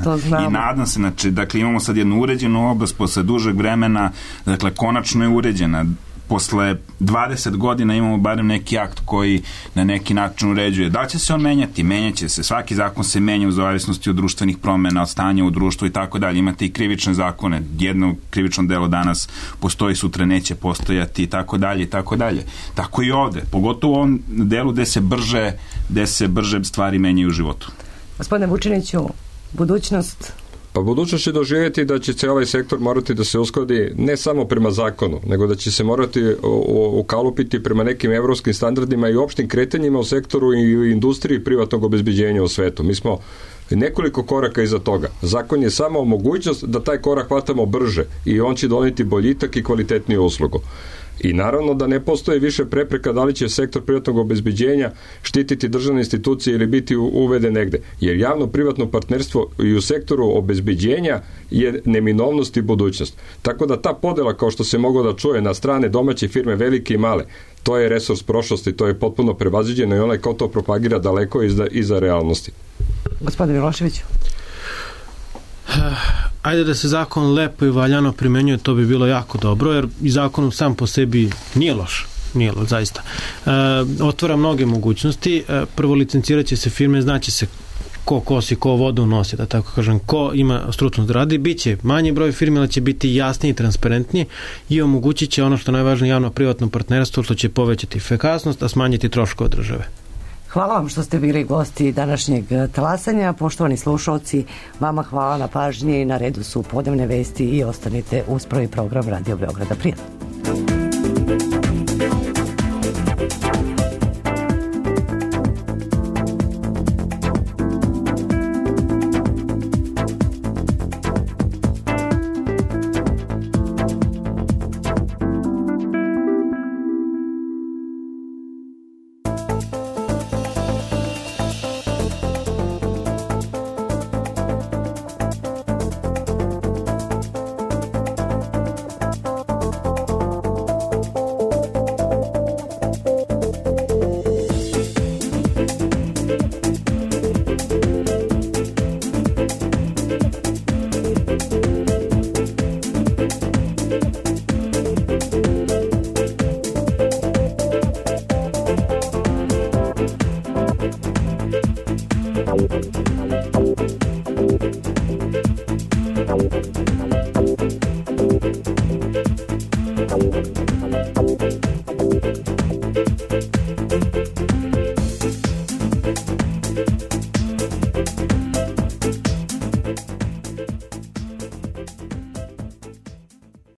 I nadam se, znači, dakle, imamo sad jednu uređenu oblast posle dužeg vremena, dakle, konačno je uređena. Posle 20 godina imamo barem neki akt koji na neki način uređuje. Da li će se on menjati? Menjaće se. Svaki zakon se menja u zavisnosti od društvenih promena, od stanja u društvu i tako dalje. Imate i krivične zakone. Jedno krivično delo danas postoji, sutra neće postojati i tako dalje i tako dalje. Tako i ovde. Pogotovo u ovom delu gde se brže stvari menjaju u životu. Gospodine Vučiniću, budućnost... Pa budućnost će doživjeti da će cijeli sektor morati da se uskladi ne samo prema zakonu, nego da će se morati ukalupiti prema nekim evropskim standardima i opštim kretanjima u sektoru i u industriji privatnog obezbeđenja u svetu. Mi smo nekoliko koraka iza toga. Zakon je samo mogućnost da taj korak hvatamo brže i on će doneti boljitak i kvalitetniju uslugu. I naravno da ne postoje više prepreka da li će sektor privatnog obezbeđenja štititi državne institucije ili biti uveden negde. Jer javno-privatno partnerstvo i u sektoru obezbeđenja je neminovnost i budućnost. Tako da ta podela, kao što se moglo da čuje, na strane domaće firme, velike i male, to je resurs prošlosti, to je potpuno prevaziđeno i onaj ko to propagira daleko iza realnosti. Gospodin Milošević. Ajde da se zakon lepo i valjano primenjuje, to bi bilo jako dobro, jer i zakon sam po sebi nije loš, zaista. Otvara mnoge mogućnosti. Prvo, licencirat će se firme, znaće se ko kosi, ko vodu nosi, da tako kažem, ko ima stručnost da radi, bit će manji broj firme, ali će biti jasniji i transparentniji i omogućit će ono što je najvažnije, javno-privatno partnerstvo, što će povećati efikasnost, a smanjiti troškove države. Hvala vam što ste bili gosti današnjeg talasanja. Poštovani slušalci, vama hvala na pažnji. Na redu su podnevne vesti i ostanite uz prvi program Radio Beograda. Prijatno.